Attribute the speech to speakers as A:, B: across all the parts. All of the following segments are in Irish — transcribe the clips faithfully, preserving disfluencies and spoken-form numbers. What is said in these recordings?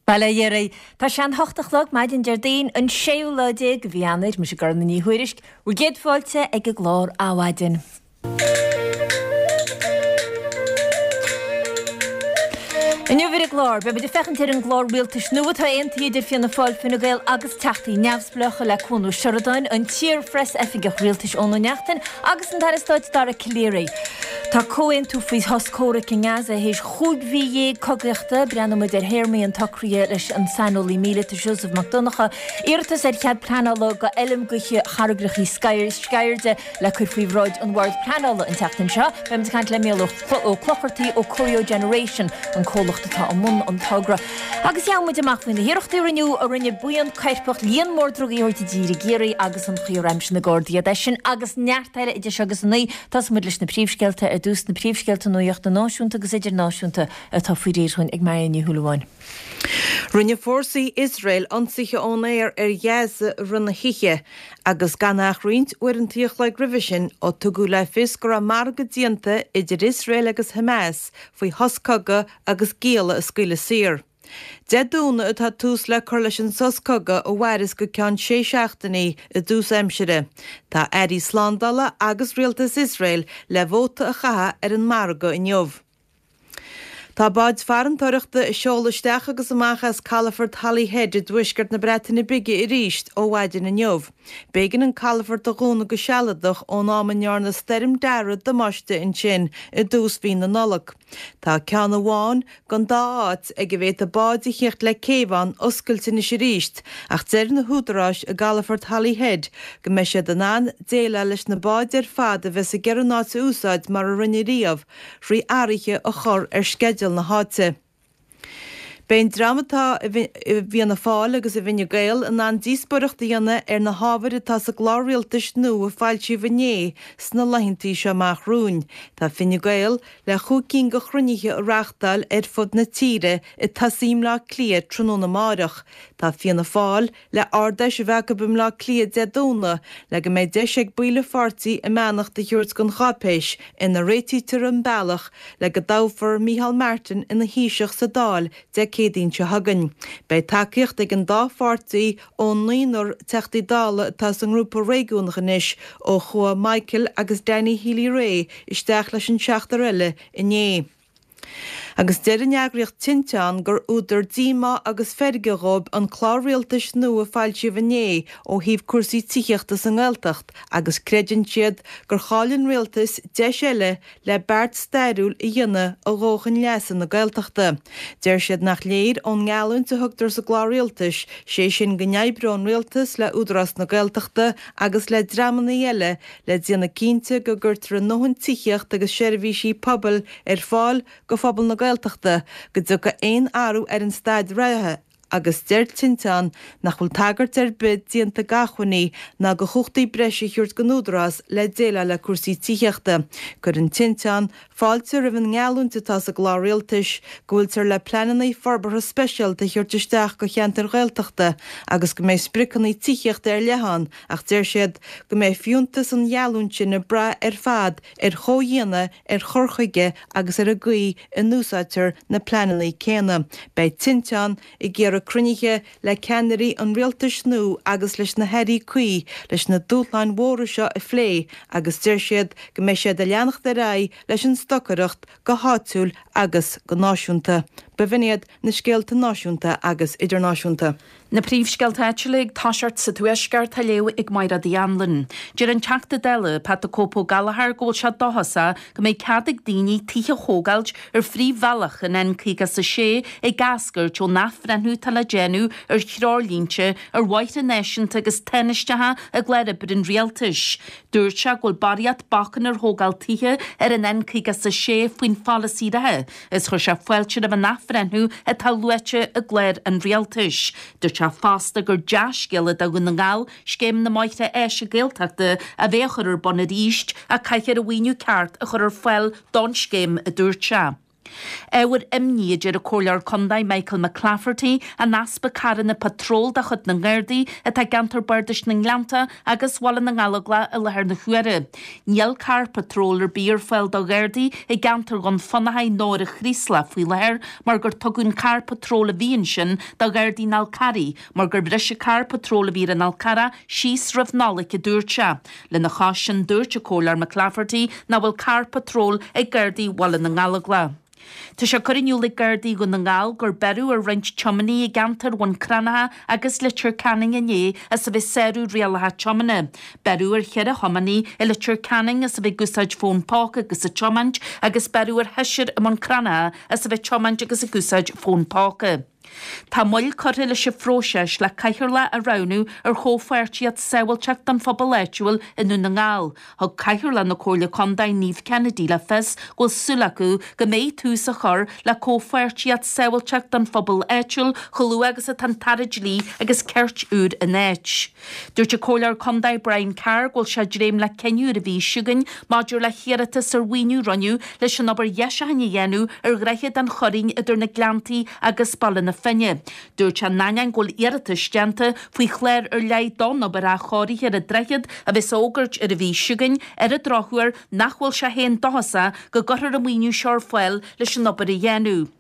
A: Bail ó Dhia oraibh. Tá sé an hocht a chlog maidin Déardaoin an séú lá déag de mhí Eanáir, mise Gormfhlaith Ní Thuairisg, bhur gcéad fáilte ag an gclár Adhmhaidin. Inniu ar an gclár, beidh muid ag féachaint ar an gclár rialtais nua atá aontaithe idir Fianna Fáil, Fine Gael agus Teachtaí Neamhspleácha le Cuan Ó Seireadáin, an t-iar-phreas-oifigeach rialtais Eoin Ó Neachtain agus an tAire Stáit Dara Calleary. Tá comhaontú faoi shos comhraic i nGaza théis chúig mhí dhéag cogaíochta. Breathnóidh muid ar théarmaí an tsocraithe leis an saineolaí míleata Seosamh Mac Donncha. Iarratas ar chead pleanála do fheilm gaoithe charraigreacha Sceirde le cur faoi bhráid an Bhoird Pleanála an tseachtain seo. Beidh muid ag caint le Mícheál Ó Clochartaigh ó Corio Generation, an comhlacht atá i mbun an togra. Agus gheobhaidh muid amach faoi na hiarrachtaí a rinneadh a rinne buíon coirpeach líon mór drugaí a thabhairt i dtír i gCiarraí agus an chaoi ar aimsigh na Gardaí iad. É sin agus neart eile idir seo agus a naoi. Tosóidh muid leis na príomhscéalta ar dtús, na príomhscéalta nuachta náisiúnta agus idirnáisiúnta atá faoi réir dhúinn ag Marion Ní Shúilleabháin.
B: Rinne fórsaí Iosrael ionsaithe ón aer ar Ghaza i rith na hoíche agus gan ach roinnt uaireanta a chloig roimhe sin ó tugadh le fios go raibh margadh déanta idir Iosrael agus Hamas faoi shos cogaidh agus gialla a scaoileadh saor. Dé Domhnaigh atá tús le cur leis an sos cogaidh a mhairfeas go ceann sé seachtainí i dtús aimsire. Tá airí slándála agus rialtas Iosrael le vóta a chaitheamh ar an margadh inniu. Tá báid farantóireachta ag seoladh isteach agus amach as calafort Holyhead i dtuaisceart na Breataine Bige arís ó mhaidin inniu. B'éigean an calafort a dhúnadh go sealadach ón am a ndearna Stoirm Darragh damáiste ansin i dtús mhí na Nollag. Tá ceann amháin den dá áit ag a bhféadfadh báid a theacht le céibh ann oscailte anois arís ach deir na húdaráis i gcalafort Holyhead go mbeidh siad in ann déileáil leis na báid ar fad a bheas ag iarraidh an áit a úsáid mar a rinne riamh thrí athruithe a chur ar sceideal na háite. Beidh an dream atá i bhFianna Fáil agus i bhFine Gael in ann díospóireacht a dhéanamh ar na hábhair atá sa gclár rialtais nua a foilsíodh inné sna laethanta seo amach romhainn. Tá Fine Gael le chúig cinn de chruinnithe a reáchtáil ar fud na tíre ag tosaí i mBleá Cliath tráthnóna amáireach. Tá Fianna Fáil le Ard-Fheis a bheith acu i mBleá Cliath Dé Domhnaigh le go mbeidh deis ag baill an pháirtí a mbeannacht a thabhairt don cháipéis ina réitítear an bealach le go dtoghfar Micheál Martin ina Thaoiseach sa Dáil Dé Céadaoin seo chugainn. Beidh tacaíocht ag an dá pháirtí ón naonúr Teachtaí Dála atá sa ngrúpa réigiúnach anois ó chuaigh Michael agus Danny Healy-Rae isteach leis an seachtar eile inné. Agus deir an eagraíocht Tinteán gur údar díomá agus feirge dhóibh an clár rialtais nua a foilsíodh inné ó thaobh cúrsaí tithíochta sa nGaeltacht agus creideann siad gur chaill an rialtas deis eile le beart stairiúil a dhéanamh a ghabhfadh chun leasa na Gaeltachta. Deir siad nach léir ón ngeallúint a thugtar sa gclár rialtais, sé sin go n-oibreodh an rialtas le Údarás na Gaeltachta agus le dreamanna eile le déanamh cinnte go gcuirtear a ndóthain tithíocht agus seirbhísí pobail ar fáil go phobal na Gaeltachta, go dtiocfaidh aon athrú ar an staid reatha. Agus deir Tinteán nach bhfuil tagairt ar bith déanta d'acmhainní ná do chumhachtaí breise a thabhairt don Údarás le déileáil le cúrsaí tithíochta. Cuireann Tinteán fáilte roimh an ngeallúint atá sa gclár rialtais go bhfuiltear le pleananna forbartha speisialta a thabhairt isteach do cheantair Ghaeltachta agus go mbeidh spriocanna tithíochta ar leith ann ach deir siad go mbeidh fiúntas an gheallúint sin ag brath ar fad ar chomhdhéanamh, ar chur chuige agus ar an gcaoi a n-úsáidtear na pleananna céanna. Beidh Tinteán ag iarraidh cruinnithe le ceannairí an rialtais nua agus leis na hairí cuí leis na dúshláin mhóra seo a phlé agus deir siad go mbeidh siad ag leanacht ar aghaidh leis an stocaireacht go háitiúil agus go náisiúnta. B'in iad na scéalta náisiúnta agus idirnáisiúnta.
C: Na príomhscéalta áitiúla ag toiseacht sa Tuaisceart á léamh ag Máire Uí Anluain. Deir an Teachta Dála, Pat 'The Cope' Ó Gallchóir go bhfuil sé dóchasach go mbeidh cead ag daoine tithe a thógáilt ar phríomhbhealach an N caoga is a sé ag eascairt ón athbhreithniú atá le déanamh ar threoirlínte ar bhóithre náisiúnta agus tánaisteacha i gclár oibre an Rialtais. Dúirt sé go bhfuil barraíocht bacann ar thógáil tithe ar an N caoga is a sé faoin pholasaí reatha is chuir sé fáilte roimh an athbhreithniú atá luaite i gclár an Rialtais. Dúirt sé fosta gur dea-scéala do Dhún na nGall scéim na mbóithre áise Gaeltachta a bheith á chur ar bun arís ach caithfear an mhaoiniú ceart a chur ar fáil don scéim, a dúirt sé. Ábhar imní a deir an Comhairleoir Contae Michael McClafferty an easpa carranna patróil de chuid na nGardaí atá i gceantar Bardais na nGleannta agus Bhaile na nGallóglach i láthair na huaire. Níl carr patróil ar bith ar fáil do Ghardaí i gceantar Dhún Fionnachaidh nó ar an Chraoslach faoi láthair mar gur tugadh an carr patróil a bhí ansin do Ghardaí an Fhál Carraigh mar gur bhris an carr patróil a bhí ar an Fhál Carrach síos roimh Nollaig a dúirt sé. Lena chois sin dúirt an Comhairleoir McClafferty nach bhfuil carr patróil ag Gardaí Bhaile na nGallóglach. Tá sé curtha in iúl ag Gardaí Dhún na nGall gur beireadh ar roinnt tiománaithe i gceantar Bhun Cranncha agus Leitir Ceanainn inné as a bheith ag sárú rialacha tiomána. Beireadh ar cheithre thiománaí i Leitir Ceanainn as a bheith ag úsáid fón póca agus ag tiomáint agus beireadh ar sheisear i mBun Cranncha as a bheith ag tiomáint agus ag úsáid fón póca. Tá moill curtha leis an phróiseas le cathaoirleach a roghnú ar chomhpháirtíocht sábháilteacht don phobal áitiúil i nDún na nGall. Thug Cathaoirleach na Comhairle Contae Niamh Kennedy le fios go bhfuil súil acu go mbeidh tús á chur le comhpháirtíocht sábháilteacht don phobal áitiúil chomh luath agus atá an tAire Dlí agus Cirt úr in áit. Dúirt an Comhairleoir Contae Brian Carr go bhfuil sé ag dréim le cinneadh ar an mhí seo chugainn maidir le hiarratas ar mhaoiniú a rinneadh leis an obair dheisiúcháin a dhéanamh ar Dhroichead an Churraoin idir na Gleanntaí agus Baile na Finne. Dúirt sé in ainneoin go bhfuil iarratais déanta faoi chlár ar leith don obair athchóirithe ar an droichead a bheas á fhógairt ar an mhí seo chugainn, ar an drochuair nach bhfuil sé féin dóchasach go gcuirfear an maoiniú seo ar fáil leis an obair a dhéanamh.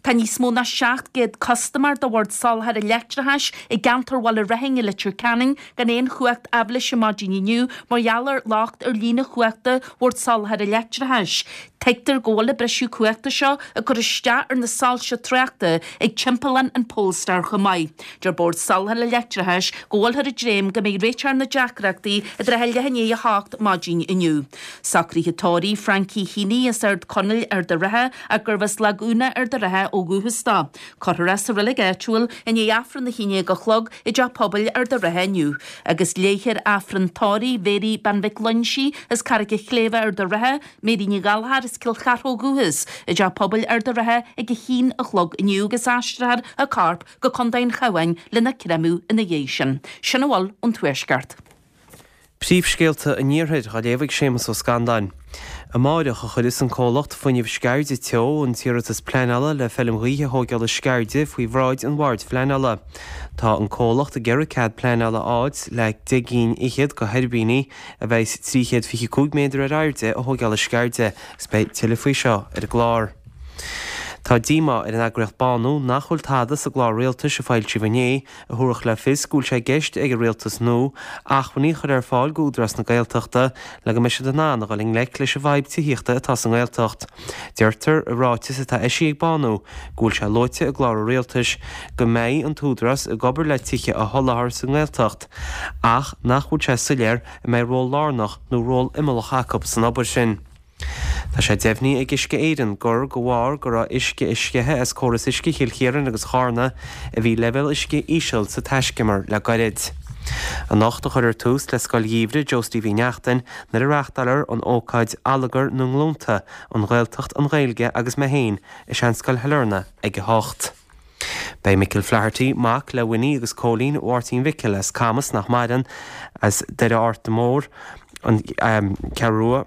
C: Tá níos mó ná seacht gcéad custaiméir do Bhord Soláthair Leictreachais i gceantar Bhaile Raithin i Leitir Ceanainn gan aon chumhacht aibhléise maidin inniu mar gheall ar locht ar líne chumhachta Bhord Soláthair Leictreachais. Tuigtear go bhfuil an briseadh cumhachta seo ag cur isteach ar na soilse tráchta ag timpeallán an Polestar chomh maith. Deir Bord Soláthair Leictreachais go bhfuilthear ag dréim go mbeidh réiteach ar na deacrachtaí i dtrátha leath i ndiaidh a hocht maidin inniu. Socruithe tórraimh Frankie Heaney as Ard Conaill, Ard an Rátha ach gurbh as Lag Úna, Ard an Rátha ó dhúchas dó. Cuirfear é sa reilig áitiúil i ndiaidh Aifreann a haon déag a chlog i dTeach Pobail Ard an Rátha inniu. Agus léifear Aifreann tórraimh Mhéirí Bean Mhic Loinsigh as Carraig an Chléibhe, Ard an Rátha, Mary Ní Ghallchóir as Cill Chartha ó dhúchas, i dTeach Pobail Ard an Rátha ag a haon a chlog inniu agus aistreofar a corp go Contae an Chabháin lena chréamadh ina dhiaidh sin. Sin a bhfuil ón Tuaisceart.
D: Príomhscéalta an Iarthair á léamh ag Séamus Ó Scanláin. Amáireach a chuirfeas an comhlacht Fuinneamh Sceirde Teo an t-iarratas pleanála le feilm ghaoithe a thóigeáil i Sceirde faoi bhráid an Bhoird Phleanála. Tá an comhlacht ag iarraidh cead pleanála a fháilt le deich gcinn fhichead de thuirbíní a bheas trí chéad fiche cúig méadar ar airde a thóigeáil i Sceirde agus beidh tuilleadh faoi seo ar an gclár. Tá díomá ar an eagraíocht Bánú nach bhfuil tada sa gclár rialtais a foilsíodh inné a thabharfadh le fios go bhfuil sé i gceist ag an rialtas nua acmhainní a chur ar fáil d'Údarás na Gaeltachta le go mbeidh siad in ann a dhul i ngleic leis an bhfadhb tithíochta atá sa nGaeltacht. Deirtear i ráiteas atá eisithe ag Bánú go bhfuil sé luaite i gclár an rialtais go mbeidh an tÚdarás ag obair le tithe a sholáthar sa nGaeltacht ach nach bhfuil sé soiléir an mbeidh ról lárnach nó ról imeallach acu san obair sin. Tá sé deimhnithe ag Uisce Éireann gur de bharr go raibh uisce ag sceitheadh as córas uisce Chill Chiaráin agus Charna a bhí leibhéal uisce íseal sa taiscumar le gairid. Anocht a chuirfear tús le Scoil Gheimhridh Joe Steve Uí Neachtain nuair a reáchtálfar an ócáid Allagar na nGlúnta, An Ghaeltacht, an Ghaeilge agus Mé Féin i Seanscoil Shailearna ag a hocht. Beidh Micil Flaherty, mac le Winnie agus Cóilín Mháirtín Mhicil as Camas nach maireann, as Doire Arta Mór, An Cheathrú Rua,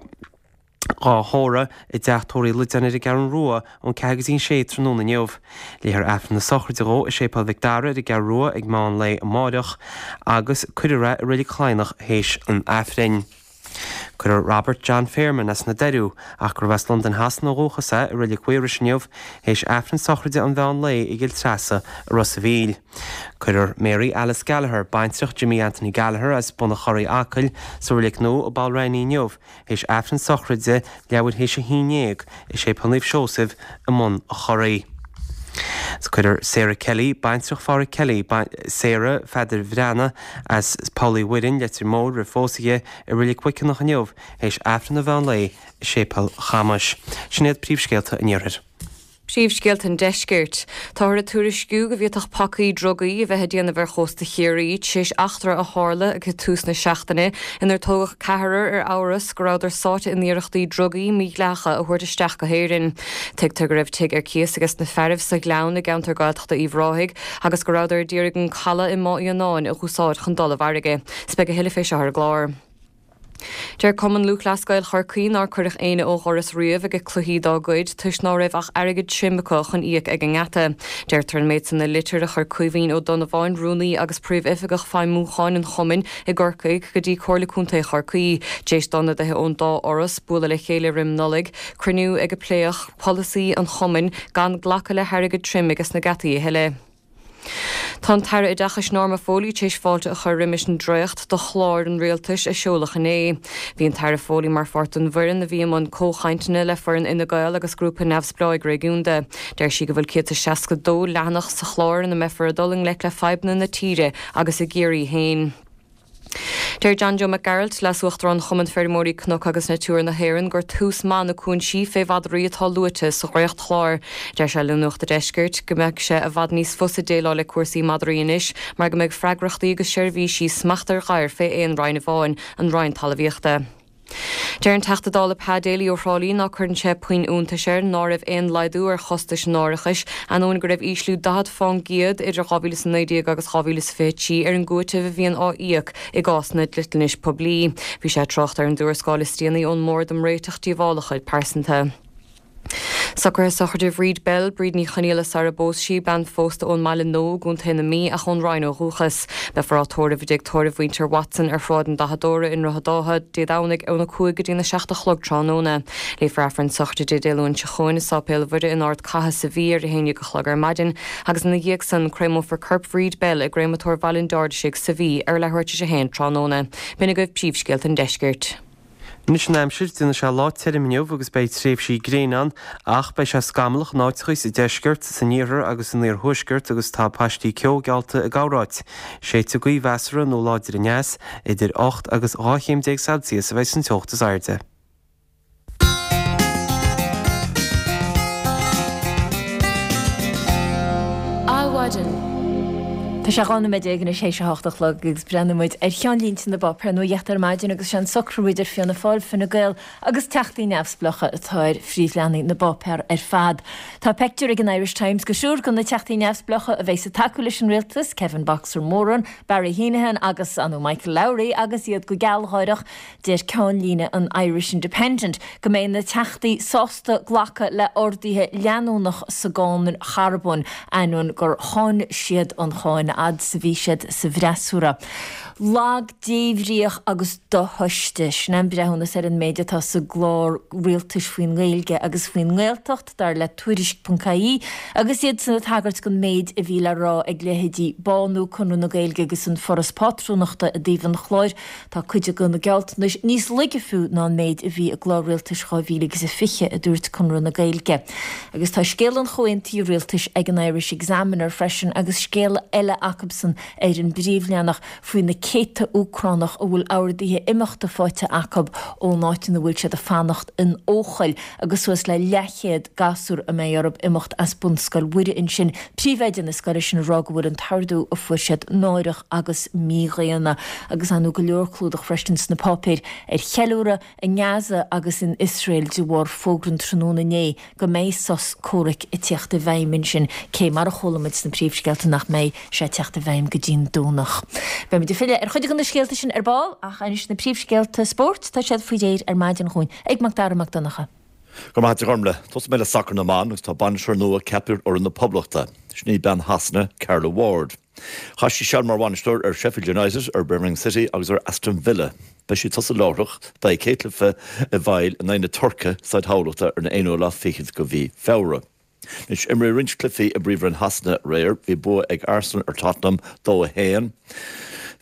D: dhá thórramh i dTeach Tórraimh Uí Loideáin ar an gCeathrú Rua ón ceathair go dtí an sé tráthnóna inniu. Léifear Aifreann na sochraide dhó i Séipéal Mhic Dara ar an gCeathrú Rua ag meán lae amáireach agus cuirfear é i Reilig Chladhnach théis an Aifrinn. Cuirfear Robert John Fairman as na Doiriú, ach gurbh as Londain Shasana ó dhúchas é, i Reilig Mhaorais inniu théis Aifreann sochraide an mheán lae i gCill Treasa i Ros a' Mhíl. Cuirfear Mary Alice Gallagher, baintreach Jimmy Anthony Gallagher as Bun a' Chorraí, Acaill, sa Reilig Nua i bPoll Raithní inniu théis Aifreann sochraide leathuair théis a haon déag i Séipéal Naomh Seosamh i mBun a' Chorraí. Cuirfear Sarah Kelly, baintreach Pháraic Kelly, Sarah Pheadair Bhreathnaigh as Poll Uí Mhuirinn, Leitir Móir, roimh phósadh di, i Reilig Mhuiceanach inniu théis Aifreann an mheán lae i Séipéal Chamais. Sin iad príomhscéalta an Iarthair.
E: Príomhscéalta an Deiscirt. Táthar ag tuairisciú go bhféadfadh pacaí drugaí a bheith ag déanamh ar chósta Chiarraí tar éis eachtra a tharla ag tús na seachtaine inar tógadh ceathrar ar amhras go rabhadar sáite in iarrachtaí drugaí mídhleathacha a thabhairt isteach go hÉirinn. Tuigtear go raibh tigh ar cíos ages na fearaibh sa Ghleann i gceantar Gaeltachta Uíbh Ráthaigh agus go rabhadar d'iarraidh an caladh i mBá Fhíonáin a dh'úsáid chun dul i bhfarraige. 'S beidh a thuilleadh fé seo ar an gclár. Deir Cumann Lúthchleas Gael Chorcaí nár cuireadh éinne ó dhoras riamh ag cluichí dá gcuid toisc ná raibh ach airgead tirim acu chun íoc ag an ngeata. Deirtear an méid san i litir a chuir Caoimhín Ó Donnabháin, rúnaí agus príomhoifigeach feidhmiúcháin an chumainn i gCorcaigh go dtí Comhairle Contae Chorcaí. D'éis d'ionadaithe ón dá fhoras bualadh le chéile roim Nollaig, cruinniú ag a pléadh polasaí an chumainn gan glacadh le hairgead tirim ages na geataí a thuilleadh. Tá an tAire Oideachais Norma Foley tar éis fáilte a chur roimis an dréacht de chlár an rialtais a seoladh inné. Bhí an tAire Foley mar pháirt den bhfoireann a bhí i mbun comhchainteanna le foireann Fhine Gael agus grúpa neamhspleáigh réigiúnda. Deir sí go bhfuil céad is seasca dó leathanach sa chlár ina mbeifear ag dul i ngleic le fadhbanna na tíre agus i gCiarraí féin. Deir John Joe Mac Gearailt, Leas-Uachtarán Chumann Feirmeoirí Cnoc agus Natura na hÉireann, gur tús maith na cúinsí fé mhadraí atá luaite sa dhréachtchlár. Deir sé le Nuacht an Deiscirt go mbeidh sé i bhfad níos fusa déileáil le cúrsaí madraí anois mar go mbeidh freagrachtaí agus seirbhísí smacht ar ghadhair fé aon roinn amháin, an Roinn Talmhaíochta. Deir an Teachta Dála Pa Daly ó Thrá Lí ná cuireann sé puinn iontais air ná raibh aon laghdú ar chostais an árachais, ainneoin go raibh ísliú daichead fán gcéad idir dhá mhíle is a naoi déag agus dhá mhíle is fiche trí ar an gcúiteamh a bhíonn á íoc i gcásanna dliteanais poiblí. Bhí sé ag trácht ar an dtuarascáil is déanaí ón mBord um Réiteach Díobhálacha Pearsanta. Socruithe sochraide Bhríd Bell, Bríd Ní Chonghaile sara bpós sí, bean phósta ón mBaile Nua i gContae na Mí ach ón Rinn ó dhúchas. Beifear á tórramh i dtigh tórraimh mhuintir Watson ar Shráid an Dathadóra i nDroichead Átha, Dé Domhnaigh óna cúig go dtína seacht a chlog tráthnóna. Léifear Aifreann sochraide Dé Luain seo chugainn i Sáipéal Mhuire in Ard Catha sa Mhí ar a haon déag a chlog ar maidin agus ina dhiaidh san créamófar corp Bhríd Bell i gCréamatóir Bhaile an Dirdisig sa Mhí ar leathuair tar éis a haon tráthnóna. B'in agaibh príomhscéalta an deiscirt.
D: Anois an aimsir, déanfaidh sé lá tirim inniu agus beidh tréimhsí gréine ann ach beidh sé scamallach in áiteacha sa deisceart, san iarthar agus san iarthuaisceart agus tá paistí ceo geallta i gcorráit. Séidfidh gaoth mheasartha nó láidir aneas, idir ocht agus dhá chéim déag Celsius a bheidh san teocht is airde.
A: Adhmhaidin. Tá sé dhá nóiméad déag anois théis a hocht a chlog agus breathnóidh muid ar cheannlínte na bpáipéar nuachta ar maidin agus sé an socrú idir Fianna Fáil, Fine Gael agus Teachtaí Neamhspleácha atá ar phríomhleathanaigh na bpáipéar ar fad. Tá peictiúr ag an Irish Times go triúr de na Teachtaí Neamhspleácha a bheas ag tacú leis an rialtas, Kevin Boxer Moran, Barry Heneghan agus anu Michael Lowry agus iad go gealgháireach. Deir ceannlíne an Irish Independent go mbeidh na Teachtaí sásta glacadh le arduithe leanúnach sa gcáin charbóin, ainneoin gur cháin siad an cháin fhad is a bhí siad sa bhfreasúra. Lag, débhríoch agus dothomhaiste, sin an breithiúnas ar an méid atá sa gclár rialtais faoin nGaeilge agus faoin nGaeltacht, dar le Tuairisc.ie, agus iadsan ag tagairt don méid a bhí le rá ag leithéidí Bánú, Conradh na Gaeilge agus an Foras Pátrúnachta i dtaobh an chláir. Tá cuid de na gealltanais níos laige fiú ná an méid a bhí i gclár rialtais dhá mhíle agus a fiche, a dúirt Conradh na Gaeilge. Agus tá scéal an chomhaontaithe rialtais ag an Irish Examiner freisin agus scéal eile acusan ar an bpríomhleathanach faoi na céadta Úcránach a bhfuil orduithe imeachta faighte acu ón áit ina bhfuil siad ag fanacht in Eochaill agus suas le leathchéad gasúr a mbeidh orthu imeacht as Bunscoil Mhuire ansin, príomhoide na scoile sin ag rá go bhfuil an t-ordú a fuair siad náireach agus mídhaonna. Agus ar ndóigh go leor clúdach freisin sna páipéir ar cheiliúradh i nGaza agus in Iosrael de bharr fógra an tráthnóna inné go mbeidh sos comhraic ag teacht i bhfeidhm ansin, cé mar a chuala muid sna príomhscéalta nach mbeidh sé ag teacht i bhfeidhm go dtí'n Domhnach. Beimid ag filleadh ar chuid de na scéalta sin ar ball ach anois na príomhscéalta spóirt, tá siad faoi réir ar maidin dhúinn ag Mac Dara Mac Donncha.
F: Go raibh maith agat a Ghormlaith. Tosóidh mé le sacar na mban agus tá bainisteoir nua ceaptha ar fhoireann na Poblachta. Sin í bean Shasana, Carla Ward. Chaith sí seal mar bhainisteoir ar Sheffield United, ar Birmingham City agus ar Aston Villa. Beidh sí ag tosú láithreach dá céad cluiche i bhfeighil in aghaidh na Tuirce, Staid Thamhlachta ar an aonú lá fichead de mhí Feabhra. Anois, imríodh roinnt cluichí i bPríomhroinn Shasana aréir. Bhí bua ag Arsenal ar Tottenham, dó a haon.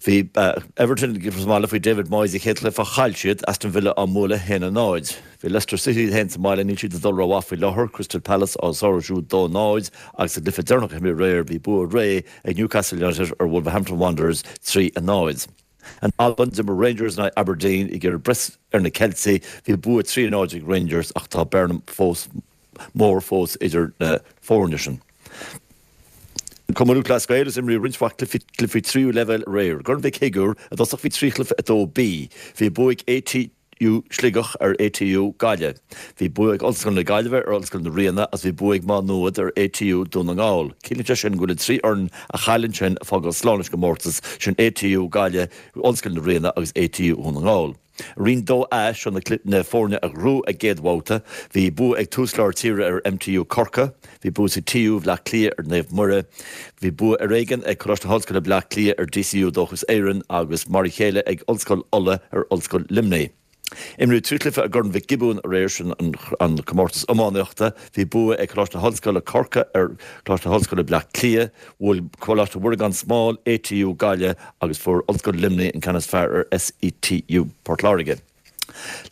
F: Bhí Everton sa mbaile faoi David Moyes sa chéad chluiche ach chaill siad, Aston Villa á mbualadh a haon a náid. Bhí Leicester City iad féin sa mbaile, níl siad ag dul rómhaith faoi láthair, Crystal Palace á sárú siúd dó a náid agus sa gcluiche deireanach a himríodh aréir bhí bua réidh ag Newcastle United ar Wolverhampton Wanderers trí a náid. In Albain, d'imir Rangers in aghaidh Aberdeen ag iarraidh breith ar na Ceiltigh, bhí bua trí a náid ag Rangers ach tá bearna fós mór fós idir na foirne sin. Cumann Lúthchleas Gael is imríodh roinnt mhaith cluichí cluichí tríú leibhéal aréir. I gCorn Mhic Shigiúir i dtosach bhí trí chluiche a dó B. Bhí bua ag ATU Sligeach ar ATU Gaillimh. Bhí bua ag Ollscoil na Gaillimhe ar Ollscoil na Ríona agus bhí bua ag Má Nuad ar ATU Dún na nGall. Ciallaíonn sé sin go bhfuil an trí fhoireann a chaill ansin ag fágáil slán leis an gcomórtas, sin ATU Gaillimh, Ollscoil na Ríona agus ATU Dhún na nGall. Roinn dó A seo na foirne a ghnóthaigh a gcéad bhabhta, bhí bua ag Tús Lár Tíre ar MTU Corcaigh, bhí bua ag TU Bhaile Átha Cliath ar Naomh Muire, bhí bua ar éigean ag Coláiste na hOllscoile Bleá Cliath ar DCU Dóchas Éireann agus mar a chéile ag Ollscoil Uladh ar Ollscoil Luimnigh. Imríodh trí chluiche i gCorn Mhic Giobúin aréir sin an comórtas iománaíochta. Bhí bua ag Coláiste na hOllscoile Corcaigh ar Choláiste na hOllscoile Bleá Cliath, bhuail Coláiste Mhuire gan Smál ATU Gaillimh agus fuair Ollscoil Luimnigh an ceann is fearr ar SETU Port Láirge.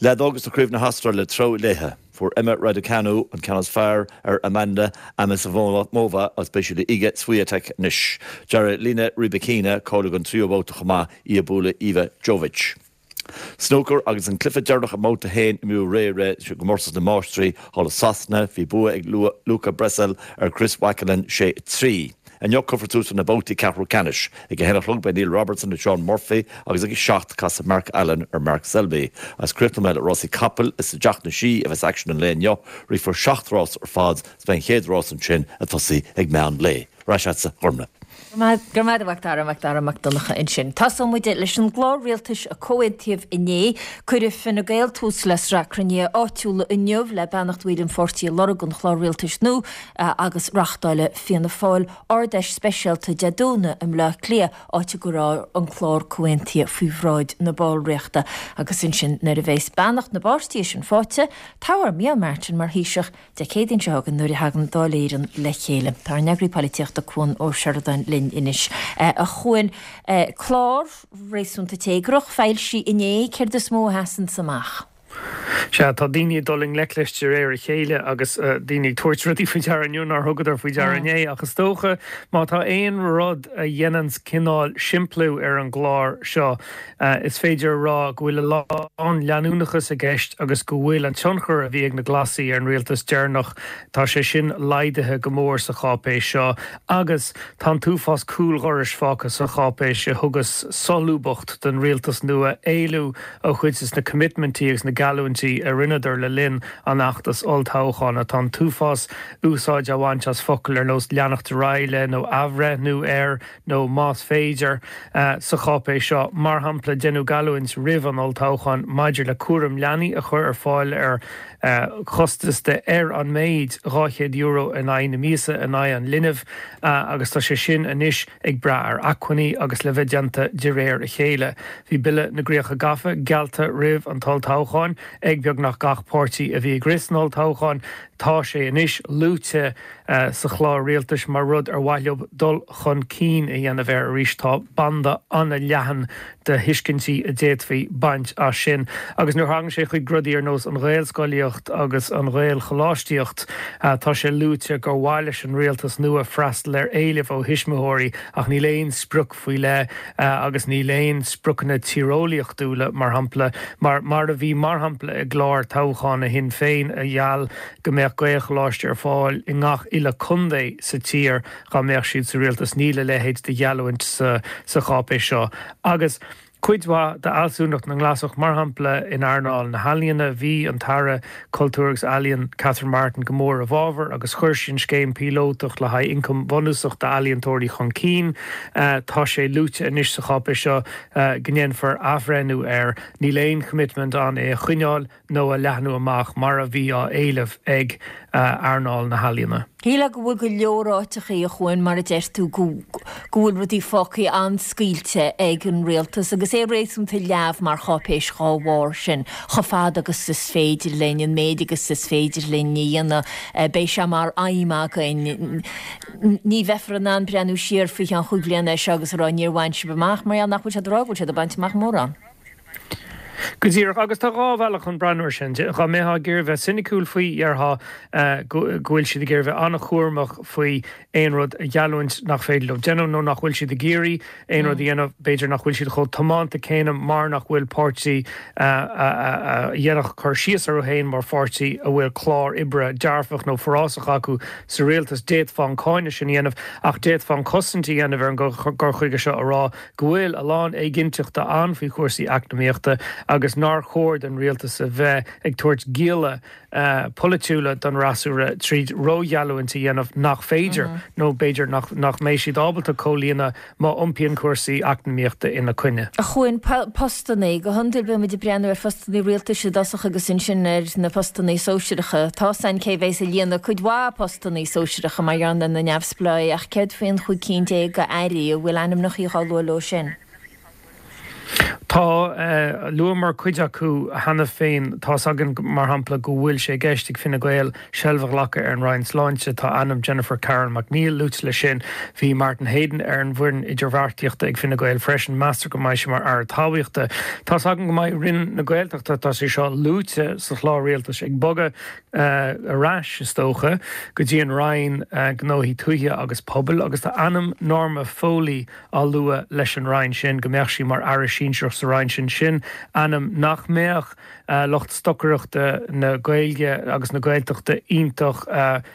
F: Leadóg agus Craobh na hAstráile treabhadh léithe. Fuair Emma Raducanu an ceann is fearr ar Amanda Anisimova agus beidh sí le Iga Swiatek anois. D'éirigh le Elena Rybakina cáiliú don tríú babhta chomh maith í ag bualadh Iva Jovic. Snúcar agus an cluiche deireanach i mbabhta a haon imríodh aréir i gcomórtas na Máistrí thall i Sasana, bhí bua ag Luca Brecel ar Chris Wakelin sé a trí. Inniu cuirfear tús na babhtaí ceathrú ceannais. Ag a haon a chlog beidh Neil Robertson le Shaun Murphy agus ag a seacht casfaidh Mark Allen ar Mark Selby. Agus críochnóidh mé le rásaí capall is i dTeach na Sí a bheas aicsean an lae inniu, rithfear seacht rás ar fad is beidh an chéad rás ansin ag tosaí ag meán lae. Ar ais agatsa, a Ghormfhlaith.
A: Go raibh maith agat a Mhac Dara, Mac Dara Mac Donncha ansin. Tosóidh muid leis an gclár rialtais a comhaontaíodh inné. Cuirfidh Fine Gael tús le sraith cruinnithe áitiúla inniu le beannacht bhaill an pháirtí a lorg don chlár rialtais nua agus reáchtálfaidh Fianna Fáil Ard-Fheis speisialta Dé Domhnaigh i mBleá Cliath, áit a gcuirfear an clár comhaontaithe faoi bhráid na ballraíochta. Agus ansin nuair a bheas beannacht na bpáirtithe sin faighte, toghfar Micheál Martin mar Thaoiseach Dé Céadaoin seo chugainn nuair a thagann Dáil Éireann le chéile. Tá ár n-eagraí polaitíochta Cuan Ó Seireadáin linn anois. A Chuain, clár réasúnta téagrach foilsithe inné, céard is mó a sheasann amach?
G: Sea, tá daoine ag dul i ngleic leis de réir a chéile agus daoine ag tabhairt rudaí faoi deara inniu nár thugadar faoi deara inné. Ach is dócha, má tá aon rud a dhéananns cineál simpliú ar an gclár seo, is féidir a rá go bhfuil a lán leanúnachas i gceist agus go bhfuil an tionchar a bhí ag na Glasaigh ar an rialtas deireanach, tá sé sin laghdaithe go mór sa cháipéis seo agus tá an t-uafás cúldhorais fágtha sa cháipéis a thugas solúbthacht don rialtas nua éalú ó chuid des na coimitmintí agus na geallúintí a rinneadar le linn an fheachtais olltoghcháin. Tá an t-uafás úsáid á bhaint as focail ar nós leanacht ar aghaidh le nó athbhreithniú ar nó más féidir sa cháipéis seo. Mar shampla, deineadh geallúint roimh an olltoghchán maidir le cúram leanaí a chur ar fáil ar chostas de ar an méid dhá chéad euro in aghaidh na míosa in aghaidh an linbh agus tá sé sin anois ag brath ar acmhainní agus le bheith déanta de réir a chéile. Bhí Bille na gCríocha Gafa geallta roimh an t-olltoghchán ag beagnach gach páirtí a bhí ag rith san olltoghchán. Tá sé anois luaite sa chlár rialtais mar rud ar mhaith leo dul chun cinn a dhéanamh air arís. Tá banda an-leathan de thuiscintí a d'fhéadfaí baint as sin. Agus nuair a thagann sé chuig rudaí ar nós an Ghaelscolaíocht agus an Ghaelcholáistíocht, tá sé luaite gur mhaith leis an rialtas nua freastal ar éilimh ó thuismitheoirí ach níl aon sprioc faoi leith agus níl aon spriocanna tíreolaíochtúla, mar shampla, mar mar a bhí mar shampla i gclár toghcháin Shinn Féin a gheall go mbeadh Gaelcholáiste ar fáil i ngach uile contae sa tír dá mbeadh siad sa rialtas. Níl a leithéid de gheallúint sa cháipéis seo. Agus cuid mhaith d'fhealsúnacht na nGlasach, mar shampla in earnáil na healaíona, bhí an tAire Cultúir agus Ealaíon Catherine Martin go mór i bhfabhar agus chuir sí an scéim píolótach le haghaidh ioncam bunúsach d'ealaíontóirí chun cinn. Tá sé luaite anois sa cháipéis seo go ndéanfar athbhreithniú air. Níl aon choimitmint ann é a choinneáil. nó a leathnú amach mar a bhí á éileamh ag earnáil na healaíona.
A: Shílfeá go bhfuil go leor áiteachaí, a Chuain, mar a deir tú, go go bhfuil rudaí fágtha an-scaoilte ag an rialtas agus é réasúnta leamh mar cháipéis dhá bharr sin, chomh fada agus is féidir linn, an méid agus is féidir linn a dhéanamh, beidh sé mar aidhm againn. Ní bheifear in ann breathnú siar faoi cheann chúig bliana air seo agus a rá níor bhain sibh amach, mar gheall nach bhfuil siad ag rá go bhfuil siad ag baint amach mórán.
G: Go díreach, agus tá dhá bhealach chun breathnú air sin. Dá mbeifeá ag iarraidh bheith soiniciúil faoi, déarfá go bhfuil siad ag iarraidh bheith an-chúramach faoi aon rud a gheallúint nach féidir leo déanamh nó nach bhfuil siad ag iarraidh aon rud a dhéanamh. B'fhéidir nach bhfuil siad chomh tiomanta céanna mar nach bhfuil páirtí a dhéanfadh cur síos orthu féin mar pháirtí a bhfuil clár oibre dearfach nó forásach acu sa rialtas. D'fhéadfá an cáineadh sin a dhéanamh ach d'fhéadfá an cosaint a dhéanamh ar an gcur chuige seo a rá go bhfuil a lán éiginnteachta ann faoi chúrsaí eacnamaíochta agus agus nár chóir don rialtas a bheith ag tabhairt gialla polaitiúla don fhreasúra tríd rógheallúint a dhéanamh nach féidir nó b'fhéidir nach mbeidh siad ábalta comhlíonadh má iompaíonn cúrsaí eacnamaíochta ina coinne.
A: A Chuain, postannaí, go hiondúil bíonn muid ag breathnú ar phostannaí rialtais i dtosach agus ansin ar na postannaí sóisearacha. Tá 's againn cé bhéas ag líonadh cuid mhaith postannaí sóisearacha mar gheall ar na neamhspleáigh ach céard faoin chúig cinn déag d'airí, an bhfuil ainmneacha á lua leo sin?
G: Tá, luamar cuid acu cheana féin. Tá's againn, mar shampla, go bhfuil sé i gceist ag Fine Gael seilbh a ghlacadh ar an Roinn Sláinte. Tá ainm Jennifer Carroll MacNeill luaite leis sin. Bhí Martin Heydon ar an bhfoireann idirbheartaíochta ag Fine Gael freisin. Meastar go mbeidh sé mar Aire Talmhaíochta. Tá's againn go mbeidh Roinn na Gaeltachta, tá sé seo luaite sa chlár rialtais, ag bogadh ar ais, is dócha, go dtí an Roinn Gnóthaí Tuaithe agus Pobail agus tá ainm Norma Foley á lua leis an Roinn sin, go mbeadh sí mar Aire Sinsearach sa Roinn sin. Sin ainm nach mbeadh lucht stocaireachta na Gaeilge agus na Gaeltachta iontach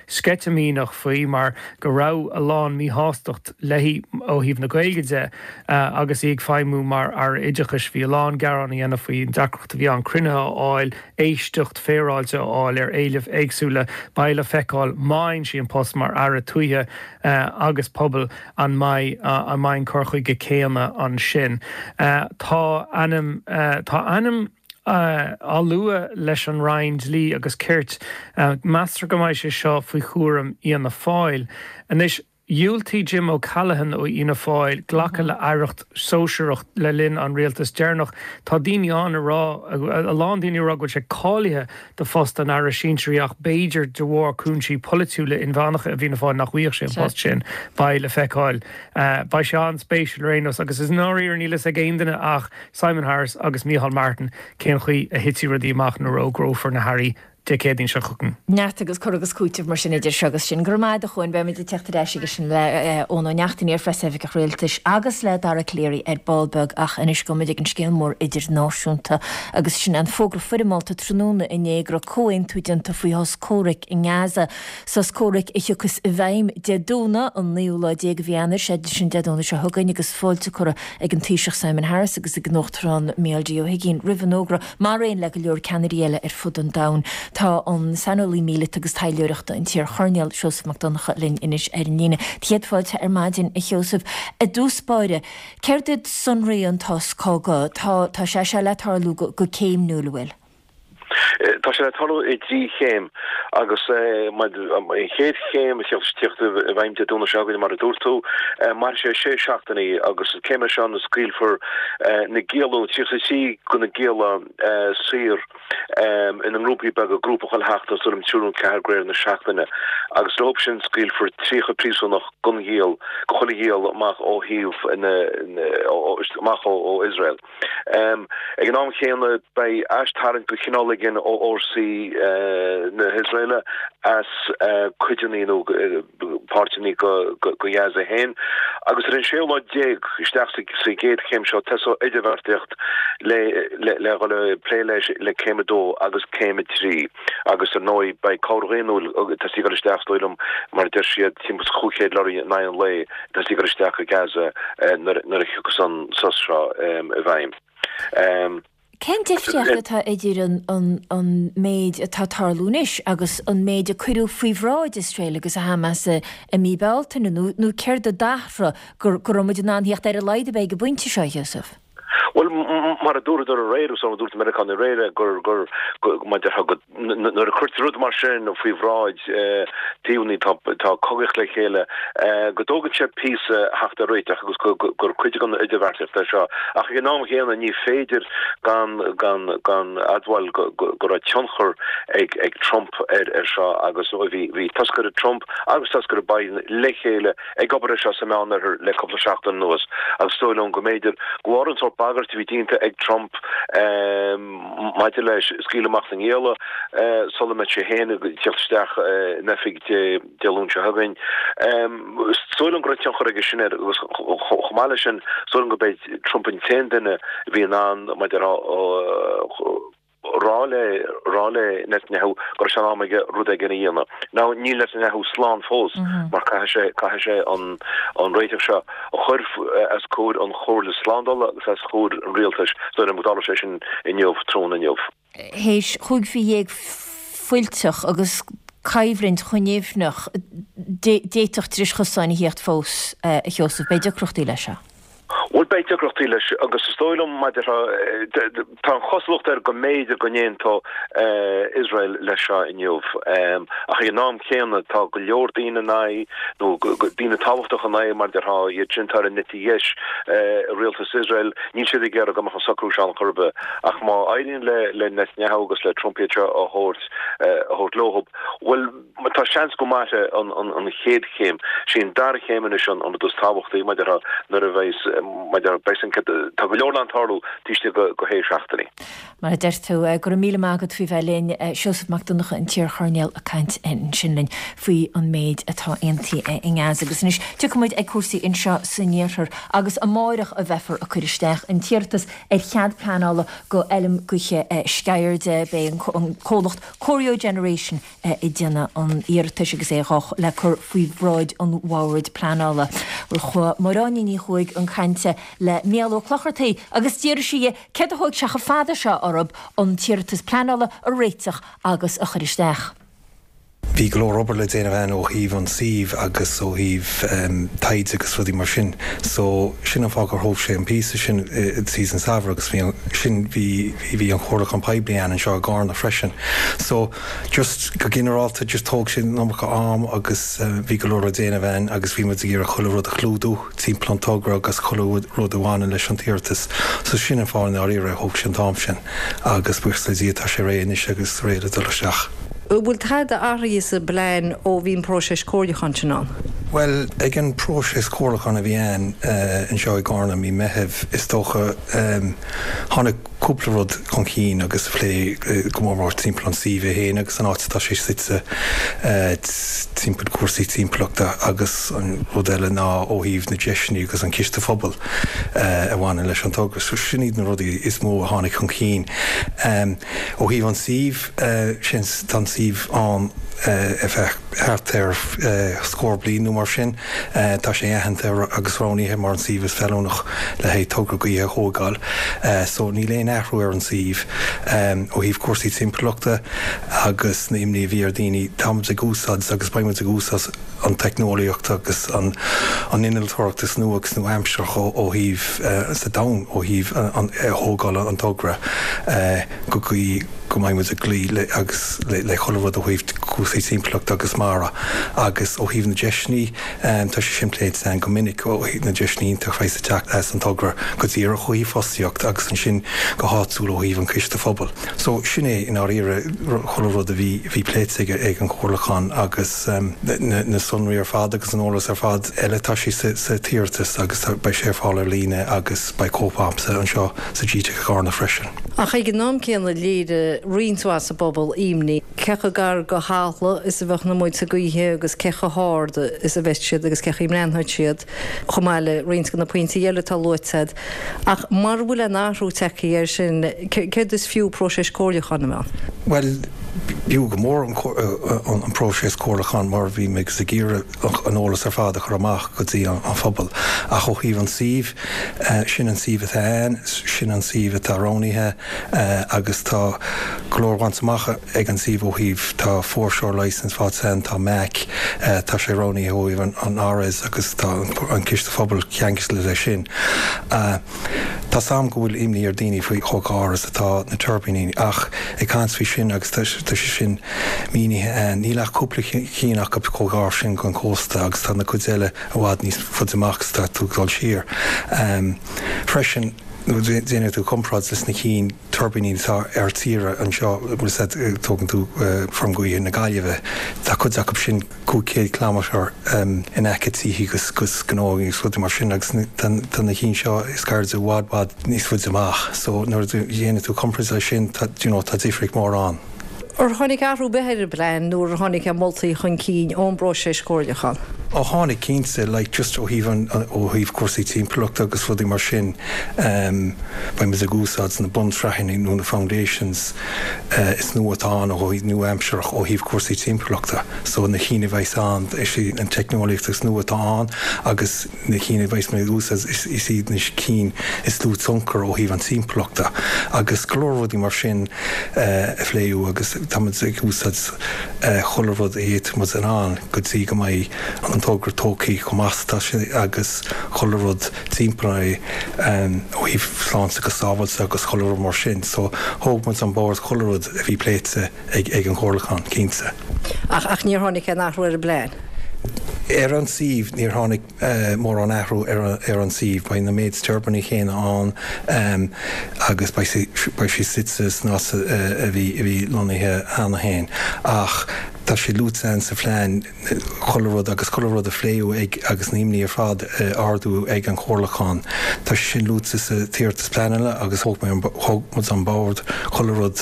G: sceitimíneach faoi mar go raibh a lán míshástacht léi ó thaobh na Gaeilge de agus í ag feidhmiú mar Aire Oideachais. Bhí a lán gearán á dhéanamh faoin deacracht a bhí ann cruinnithe a fháil, éisteacht féaráilte a fháil ar éilimh éagsúla. Beidh le feiceáil má fhaigheann sí an post mar Aire Tuaithe agus Pobail an mbeidh an mbeidh an cur chuige céanna ansin. Tá ainm tá ainm á lua leis an Roinn Dlí agus Cirt. Meastar go mbeidh sé seo faoi chúram Fhianna Fáil. Anois, dhiúltaigh Jim O'Callaghan ó Fhianna Fáil glacadh le aireacht sóisearach le linn an rialtais deireanach. Tá daoine ann a rá, a lán daoine a rá go bhfuil sé cáilithe do phost an aire sinsearaigh ach b'fhéidir de bharr cúinsí polaitiúla inmheánacha i bhFianna Fáil nach bhfaigheadh sé an post sin. Beidh le feiceáil. Beidh sé an-spéisiúil ar aon nós agus is i ndáiríre níl fhios ag aon duine ach Simon Harris agus Micheál Martin cén chaoi a thitfidh rudaí amach nuair a fhógrófar na hairí Dé Céadaoin seo chugainn.
A: Neart agus cur agus cúiteamh mar sin idir seo agus sin. Go raibh maith agat a Chuain, beimid ag teacht ar ais aige sin le Eoin Ó Neachtain, iar-phreasoifigeach rialtais agus le Dara Calleary ar ball beag ach anois gabhfaimid ag an scéal mór idirnáisiúnta agus sin an fógra foirmeálta tráthnóna inné go raibh comhaontú déanta faoi shos comhraic i nGaza. Sos comhraic a thiocfas i bhfeidhm Dé Domhnaigh, an naoú lá déag de mhí Eanáir, sé sin Dé Domhnaigh seo chugainn agus fáilte curtha ag an Taoiseach Simon Harris agus ag an Uachtarán Micheál D Ó hUigínn roimh an fhógra mar aon le go leor ceannairí eile ar fud an domhain. Tá an saineolaí míleata agus taidhleoireachta, an t-iarchoirnéal Seosamh Mac Donncha linn anois ar an líne. Céad fáilte ar maidin, a Sheosaimh. I dtús báire, céard iad sonraí an tsos cogaidh? Tá tá sé seo le tarlú go go céimniúil, an bhfuil?
H: Tá sé le tarlú i dtrí chéim agus an chéad chéim a tíocht i bhfeidhm Dé Domhnaigh seo chugainn mar a dúirt tú, mairfidh sé sé seachtainí agus sa chéim seo scaoilfear na gialla, tríocha a trí de na gialla saor ina ngrúpaí beaga, grúpa chuile sheachtain, is dóigh liom triúr nó ceathair de réir na seachtaine, agus leo sin scaoilfear tríocha príosúnach don ghiall, do chuile ghiall amach ó thaobh na, amach ó Iosrael. Ag an am chéanna beidh aistarraingt de chineál éigin ó fhórsaí na hIosraeile as cuideanna nó páirteanna de Ghaza féin agus ar an séú lá déag isteach sa gcéad chéim seo tosóidh idirbheartaíocht le le dhul ag plé leis le céim a dó agus céim a trí agus ar ndóigh beidh cabhair dhaonnúil tosaithe ag dul isteach is dóigh liom mar a deir siad timpeall is chúig chéad lorry in aghaidh an lae tosaithe ag dul isteach go Gaza nuair a thiocfas an sos seo i bhfeidhm.
A: Cén difríocht atá idir an méid atá ag tarlú anois agus an méid a cuireadh faoi bhráid Iosrael agus Hamas i mí Bealtaine, nó céard a d'athraigh go raibh muid in ann theacht ar a laghad ar bith ag an bpointe seo, a Sheosaimh?
H: Bhuel, mar a dúradar aréir, agus mar a dúirt na Meiriceánaigh aréir, gur, gur, mar a déarfá, go, nuair a cuirtear rud mar sin faoi bhráid taobhanna atá ag cogaíocht le chéile, go dtógann sé píosa theacht ar réiteach agus gur cuid den idirbheartaíocht é seo. Ach ag an am chéanna ní féidir gan gan gan admháil go go raibh tionchar ag ag Trump ar ar seo agus bhí bhí toscaire Trump agus toscaire Biden le chéile ag obair ar seo sa Meánoirthear le cúpla seachtain anuas agus is dóigh liom go mb'fhéidir go bharr an sórt bagairt a bhí déanta ag Trump maidir le scaoileadh amach na ngialla sula mbeidh sé féin ag teacht isteach in oifig Dé Luain seo chugainn. Is dóigh liom go raibh tionchar aige sin air agus chomh maith leis sin, is dóigh liom gurb é Trump an t-aon duine a bhí in ann, mar a déarfá, rá le rá le Netanyahu go raibh sé in am aige rud éigin a dhéanamh. Now níl Netanyahu slán fós mar caithfidh sé caithfidh sé an an réiteach seo a chur os comhair an Chomhairle Slándála agus os comhair an rialtais so go dtarlóidh sé sin inniu tráthnóna inniu.
A: Théis chúig mhí dhéag fuilteach agus coimhlint choinníomhnach d'fhéadfadh dris chosáin a theacht fós, a Sheosaimh. Beidh deacrachtaí leis seo.
H: Bhuel, beidh deacrachtaí leis agus is dóigh liom maidir tá an chosúlacht air go mb'fhéidir go n-aontódh Iosrael leis seo inniu. Ach ag an am chéanna tá go leor daoine in aghaidh, nó daoine tábhachtacha in aghaidh mar a déarfá, iad sin atá ar an eite dheis i rialtas Iosrael, níl siad ag iarraidh go mbeadh an socrú seo ann chor ar bith. Ach má éiríonn le Netanyahu agus le Trump iad seo a thabhairt a thabhairt leo, bhuel, tá seans go mairfidh an chéad chéim. Sí an dara chéim anois an rud is tábhachtaí, mar a déarfá, nuair a bheas, mar a déarfá, beidh an, tá go leor le tarlú taobh istigh de shé seachtainí.
A: Mar a deir tú, go raibh míle maith agat faoi bheith linn, Seosamh Mac Donncha, an t-iar-choirnéal ag caint ansin linn faoi an méid atá aontaithe i nGaza. Agus anois tiocfaidh muid ag cúrsaí anseo san iarthar agus amáireach a bheifear ag cur isteach an t-iarratas ar chead pleanála go fheilm gaoithe Sceirde. Beidh an comhlacht Corio Generation ag déanamh an iarratais agus é dhá le cur faoi bhráid an Bhoird Pleanála. Bhuel chuaigh Máire Áine Ní Chuaig chun cainte le Mícheál Ó Clochartaigh agus d'fhiafraigh sí dhe céard a thóig sé chomh fada seo orthu an t-iarratas pleanála a réiteach agus a chur isteach.
I: Bhí go leor obair le déanamh ann ó thaobh an suímh agus ó thaobh taighde agus rudaí mar sin. So sin an fáth gur thóg sé an píosa sin thíos an samhradh agus bhí an, sin, bhí, bhí an comhairliúchán poiblí ann anseo i gCarna freisin. So just go ginearálta just thóg sé an iomarca am agus bhí go leor le déanamh ann agus bhí muid ag iarraidh chuile rud a chlúdú timpeall an togra agus chuile rud a bhaineann leis an t-iarratas. So sin an fáth i ndáiríre a thóg sé an t-am sin agus buíochas le Dia tá sé réidh anois agus réidh le dul isteach.
J: An bhfuil tada athraithe sa bplean ó bhí an próiseas comhairliúcháin sin ann?
I: Bhuel, ag an próiseas comhairliúcháin a bhí ann anseo i gCarna mí Meithimh, is dócha, tháinig cúpla rud chun cinn agus a phlé go mór mór timpeall an suímh é féin agus an áit atá sé suite timpeall cúrsaí timpeallachta agus an rud eile ná ó thaobh na deiseanna agus an ciste phobail a bhaineann leis an togra. So sin iad na rudaí is mó a tháinig chun cinn. Ó thaobh an suímh, sin, tá an suíomh ann ar feadh thart ar scór bliain nó mar sin. Tá sé aitheanta agus roghnaithe mar an suíomh is feiliúnach le haghaidh togra gaoithe a thógáil. So níl aon athrú ar an suíomh. Ó thaobh cúrsaí timpeallachta agus na imní a bhí ar daoine, táimid ag úsáid agus beidh muid ag úsáid an teicneolaíocht agus an innealtóireacht is nua agus nua-aimseartha ó thaobh sa domhan ó thaobh thógáil an togra go gcaoi go mbeidh muid ag cloí le agus le chuile rud ó thaobh cúrsaí timpeallachta agus mara agus ó thaobh na deiseanna tá sé sin pléite againn go minic ó thaobh na deiseanna iontach a bheas ag teacht as an togra go díreach ó thaobh fostaíocht agus ansin go háitiúil ó thaobh an chiste phobail. So sin é i ndáiríre chuile rud a bhí bhí pléite ag ag an chomhairliúchán agus na na sonraí ar fad agus an eolas ar fad eile tá sé sa sa t-iarratas agus tá beidh sé ar fáil ar líne agus beidh cóip a'msa anseo sa gteic i gCarna freisin.
J: Ach ag an am céanna léirigh roinnt mhaith sa bpobal imní cé chomh gar go talamh is a bheadh na muilte gaoithe agus cé chomh hard is a bheas siad agus cé chaoi a mbreathnóidh siad, chomh maith le roinnt de na pointí eile atá luaite agat. Ach mura bhfuil aon athrú tagtha air sin, céard is fiú próiseas comhairliúcháin a bheith ann?
I: Bhuel, b'fhiú go mór an próiseas comhairliúcháin mar bhí muid ag iarraidh an eolas ar fad a chur amach go dtí an phobal. Ach ó thaobh an suímh, sin an suíomh atá ann, sin an suíomh atá roghnaithe agus tá go leor bainte amach ag an suíomh ó thaobh, tá foreshore licence faighte ann, tá MAC, tá sé roghnaithe ó thaobh an RS agus tá an Ciste Phobail ceangailte leis sin. Tá's a'm go bhfuil imní ar daoine faoi chomh gar is atá na tuirbíní ach ag caint faoi sin agus tá sé sin mínithe ann, níl ach cúpla cinn acu chomh gar sin don chósta agus tá na cuid eile i bhfad níos faide amach is tá tú ag dul siar. Freisin, nuair a déanann tú comparáid leis na cinn tuirbíní atá ar tíre anseo, bhfuil 'fhios a'd, tógann tú feirm gaoithe na Gaillimhe, tá cuid acu sin cúig chéad kilometre in aice tithe agus agus gnó agus rudaí mar sin agus tá na cinn seo is gairide i bhfad bhfad níos faide amach. So nuair a dhéanann tú comparáid leis sin, tá, you know, tá difríocht mór ann.
J: Ar tháinig athrú ar bith ar an bplean nuair a tháinig na moltaí chun cinn ón bpróiseas comhairliúcháin?
I: Ó tháinig cinnte, like just ó thaobh an ó thaobh cúrsaí timpeallachta agus rudaí mar sin, beidh muid ag úsáid na bunsraitheanna nó na foundations is nua atá ann ó thaobh nua-aimsearach ó thaobh cúrsaí timpeallachta. So na cinn a bheas ann, is í an teicneolaíocht is nua atá ann agus na cinn a bheas muid ag úsáid is iad na cinn is lú tionchar ó thaobh an timpeallachta agus go leor rudaí mar sin a phléadh agus tá muid ag úsáid chuile rud a fhéadfaidh muid in ann go dtí go mbeidh an togra tógtha chomh maith is atá sé agus chuile rud timpeall é ó thaobh sláinte agus sábháilte agus chuile rud mar sin. So thóg muid on board chuile rud a bhí pléite ag ag an chomhairliúchán, cinnte.
J: Ach ach níor tháinig aon athrú ar an bplean?
I: Ar an suíomh, níor tháinig mórán athrú ar an suíomh. Beidh na méid tuirbíní chéanna ann agus beidh beidh sé suite san áit a bhí a bhí lonnaithe cheana féin. Ach tá sé luaite ann sa phlean chuile rud agus chuile rud a pléadh ag agus na himní ar fad a ardú ag an chomhairliúchán. Tá sé sin luaite sa t-iarratas pleanála agus thóg mé thóg muid on board chuile rud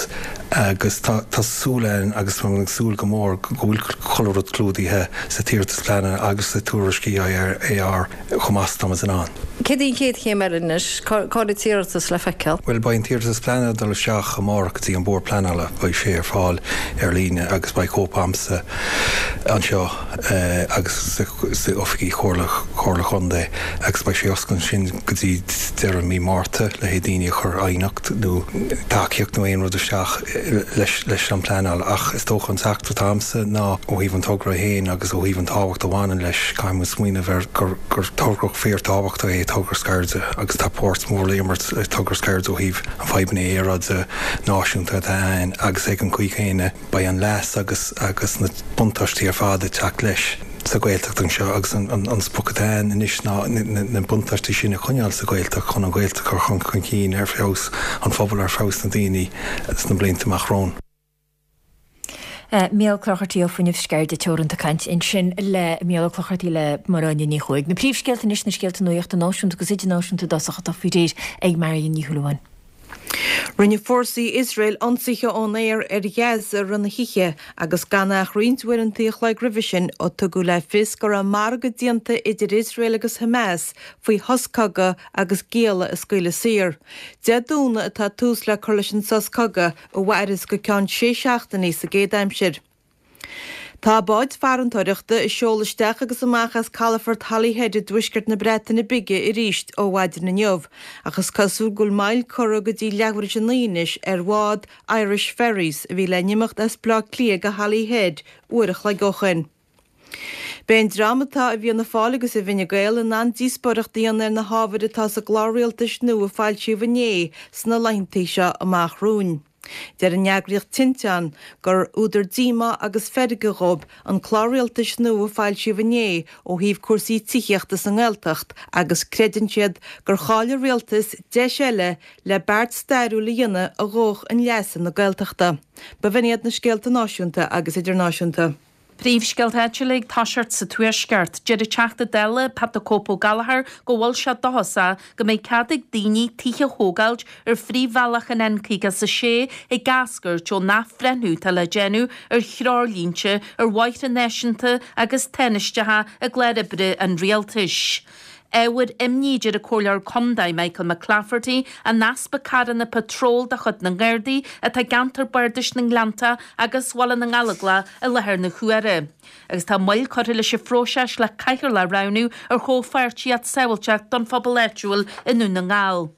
I: agus tá tá súil ann agus tá ag súil go mór go bhfuil chuile rud clúdaithe sa t-iarratas pleanála agus sa tuairisc EIAR chomh maith is atá muid in ann.
J: Céard í an chéad chéim eile anois? Cá bhfuil an t-iarratas le feiceáil?
I: Bhuel, beidh an t-iarratas pleanála ag dul isteach amárach go dtí an Bord Pleanála. Beidh sé ar fáil ar líne agus beidh cóip a'msa anseo agus sa oifigí Chomhairle Chomhairle Chontae agus beidh sé oscailte ansin go dtí deireadh mí Márta le haghaidh daoine a chur aighneacht nó tacaíocht nó aon rud isteach leis leis an pleanáil. Ach is dócha an teachtaireacht atá a'msa ná ó thaobh an togra féin agus ó thaobh an tábhacht a bhaineann leis, caithfidh muid smaoineamh ar gur gur togra fíorthábhachtach é togra Sceirde agus tá páirt mhór le imirt ag togra Sceirde ó thaobh an fadhbanna aeráide náisiúnta atá ann agus ag an gcaoi chéanna beidh an leas agus agus na buntáistí ar fad ag teacht leis sa Ghaeltacht anseo agus an an sprioc atá ann anois ná na buntáistí sin a choinneáil sa Ghaeltacht chun an Ghaeltacht a chur chun chun cinn ar feabhas an phobail ar feabhas na daoine sna blianta amach romhainn.
A: Mícheál Ó Clochartaigh ó Fuinneamh Sceirde Teoranta ag caint ansin le Mícheál Ó Clochartaigh le Máire Áine Ní Chuaig. Na príomhscéalta anois na scéalta nuachta náisiúnta agus idirnáisiúnta i dtosach atá faoi réir ag Marion Ní Shúilleabháin.
B: Rinne fórsaí Iosrael ionsaithe ón aer ar Ghaza i rith na hoíche agus gan ach roinnt uaireanta a chloig roimhe sin ó tugadh le fios go raibh margadh déanta idir Iosrael agus Hamas faoi shos cogaidh agus gialla a scaoileadh saor. Dé Domhnaigh atá tús le cur leis an sos cogaidh a mhairfeas go ceann sé seachtainí sa gcéad aimsir. Tá báid farantóireachta ag seoladh isteach agus amach as calafort Holyhead i dtuaisceart na Breataine Bige arís ó mhaidin inniu, ach is cosúil go bhfuil moill curtha go dtí leathuair tar éis a naoi anois ar bhád Irish Ferries a bhí le n-imeacht as Baile Átha Cliath go Holyhead uair a chloig ó shoin. Beidh an dream atá i bhFianna Fáil agus i bhFine Gael in ann díospóireacht a dhéanamh ar na hábhair atá sa gclár rialtais nua a foilsíodh inné sna laethanta seo amach romhainn. Deir an eagraíocht Tinteán gur údar díomá agus feirge dhóibh an clár rialtais nua a foilsíodh inné ó thaobh cúrsaí tithíochta sa nGaeltacht agus creideann siad gur chaill an rialtas deis eile le beart stairiúil a dhéanamh a dhódh chun leasa na Gaeltachta. B'in iad na scéalta náisiúnta agus idirnáisiúnta.
C: Príomhscéalta áitiúla ag toiseacht sa Tuaisceart. Deir an Teachta Dála, Pat the Cope Ó Gallchóir, go bhfuil sé dóchasach go mbeidh cead ag daoine tithe a thógáilt ar phríomhbhealach an N caoga is a sé ag eascairt ón athbhreithniú atá le déanamh ar threoirlínte ar bhóithre náisiúnta agus tánaisteacha i gclár oibre an Rialtais. Ábhar imní, a deir an Comhairleoir Contae Michael McClafferty, an easpa carranna patróil de chuid na nGardaí atá i gceantar bardais na nGleanntach agus Bhaile na nGallóglach i láthair na huaire. Agus tá moill curtha leis an phróiseas le cathaoirleach a roghnú ar chomhpháirtíocht sábháilteacht don phobal áitiúil i nDún na nGall.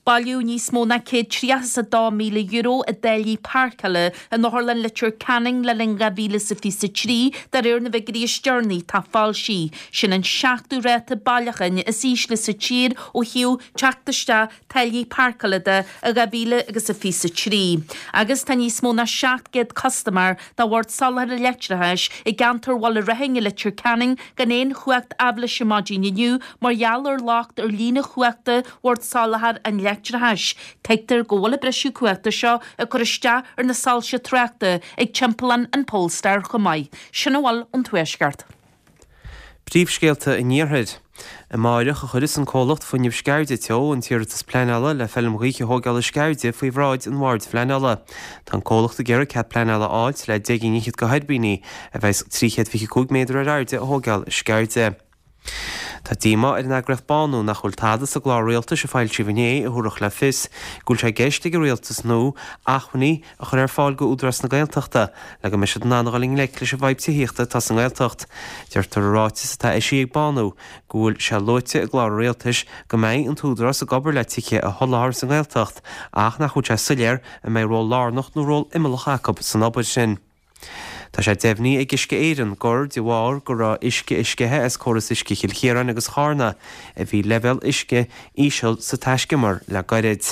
C: Bailíodh níos mó ná céad tríocha is a dó míle euro i dtáillí páirceála in Otharlann Leitir Ceanainn le linn dhá mhíle is a fiche a trí, de réir na bhfigiúirí is deireanaí atá foilsithe. Sin an seachtú ráta bailiúcháin is ísle sa tír ó thaobh teacht isteach táillí páirceála de i dhá mhíle agus a fiche a trí. Agus tá níos mó ná seacht gcéad custaiméir de Bhord Soláthair Leictreachais i gceantar Bhaile Raithin i Leitir Ceanainn gan aon chumhacht aibhléise maidin inniu mar gheall ar locht ar líne chumhachta Bhord Soláthair an Leictreachais. Tuigtear go bhfuil an briseadh cumhachta seo ag cur isteach ar na soilse tráchta ag timpeallán an Polestar chomh maith. Sin a bhfuil ón Tuaisceart.
D: Príomhscéalta an Iarthair. Amáireach a chuirfeas an comhlacht Fuinneamh Sceirde Teo an t-iarratas pleanála le feilm ghaoithe a thógáil i Sceirde faoi bhráid an Bhoird Phleanála. Tá an comhlacht ag iarraidh cead pleanála a fháilt le deich gcinn fhichead de thuirbíní, a bheas trí chéad fiche cúig méadar ar airde, a thógáil i Sceirde. Tá díomá ar an eagraíocht Bánú nach bhfuil tada sa gclár rialtais a foilsíodh inné a thabharfadh le fios go bhfuil sé i gceist ag an rialtas nua acmhainní a chur ar fáil go Údarás na Gaeltachta le go mbeidh siad in ann a dhul i ngleic leis an bhfadhb tithíochta atá sa nGaeltacht. Deirtear i ráiteas atá eisithe ag Bánú go bhfuil sé luaite i gclár an rialtais go mbeidh an tÚdarás ag obair le tithe a sholáthar sa nGaeltacht ach nach bhfuil sé soiléir an mbeidh ról lárnach nó ról imeallach acu san obair sin. Tá sé deimhnithe ag Uisce Éireann gur de bharr go raibh uisce ag sceitheadh as córas uisce Chill Chiaráin agus Charna a bhí leibhéal uisce íseal sa taiscumar le gairid.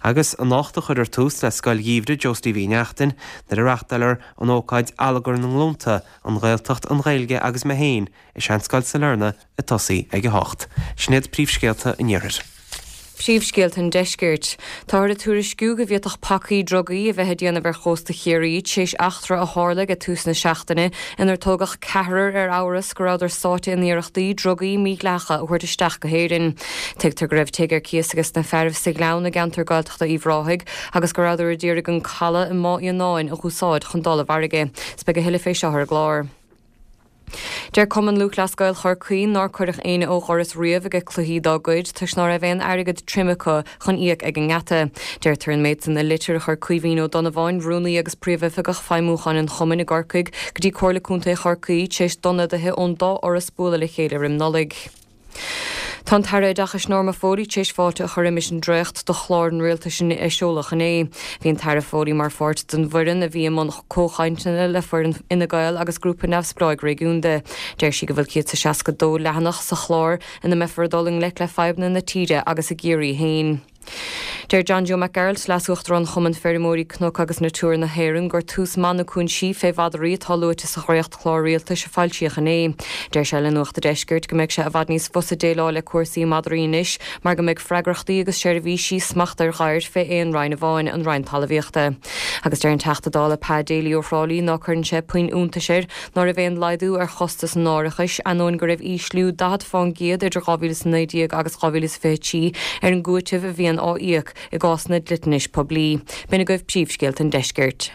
D: Agus anocht a chuirfear tús le Scoil Gheimhridh Joe Steve Uí Neachtain nuair a reáchtálfar an ócáid Allagar na nGlúnta, An Ghaeltacht, an Ghaeilge agus Mé Féin i Seanscoil Sailearna ag tosaí ag a hocht. Sin iad príomhscéalta an Iarthair.
E: Príomhscéalta an Deiscirt. Táthar ag tuairisciú go bhféadfadh pacaí drugaí a bheith ag déanamh ar chósta Chiarraí tar éis eachtra a tharla ag tús na seachtaine inar tógadh ceathrar ar amhras go rabhadar sáite in iarrachtaí drugaí mídhleathacha a thabhairt isteach go hÉirinn. Tuigtear go raibh tigh ar cíos ages na fearaibh sa Ghleann i gceantar Gaeltachta Uíbh Ráthaigh agus go rabhadar a d'iarraidh an caladh i mBá Fhíonáin a dh'úsáid chun dul i bhfarraige. 'S beidh a thuilleadh fé seo ar an gclár. Deir Cumann Lúthchleas Gael Chorcaí nár cuireadh éinne ó dhoras riamh ag cluichí dá gcuid toisc ná raibh aon airgead tirim acu chun íoc ag an ngeata. Deirtear an méid san i litir a chuir Caoimhín Ó Donnabháin, Rúnaí agus Príomhoifigeach Feidhmiúcháin an Chumainn i gCorcaigh, go dtí Comhairle Contae Chorcaí tar éis d'ionadaithe ón dá fhoras bualadh le chéile roim Nollaig. Tá an tAire Oideachais Norma Foley tar éis fáilte a chur roimis an dréacht de chlár an rialtais a seoladh inné. Bhí an tAire Foley mar pháirt den bhfoireann a bhí i mbun comhchainteanna le foireann Fhine Gael agus Grúpa Neamhspleáigh Réigiúnda. Deir sí go bhfuil céad is seasca dó leathanach sa chlár ina mbeifear ag dul i ngleic le fadhbanna na tíre agus i gCiarraí féin. Deir John Joe Mac Gearailt, Leas-Uachtarán Chumann Feirmeoirí Cnoc agus Natura na hÉireann, gur tús maith na cúinsí fé mhadraí atá luaite sa dhréacht-chlár rialtais a foilsíodh inné. Deir sé le Nuacht a' Deiscirt go mbeidh sé i bhfad níos fusa déileáil le cúrsaí madraí anois mar go mbeidh freagrachtaí agus seirbhísí smacht ar ghadhair fé aon roinn amháin, an Roinn Talmhaíochta. Agus deir an Teachta Dála Pa Daly ó Thrá Lí ná cuireann sé puinn iontais air ná raibh aon laghdú ar chostas an árachais, ainneoin go raibh ísliú daichead fán gcéad idir dhá mhíle is a naoi déag agus dhá mhíle is fiche trí ar an gcúiteamh a bhíonn á íoc i gcásanna dliteanais poiblí. B'in agaibh príomhscéalta an deiscirt.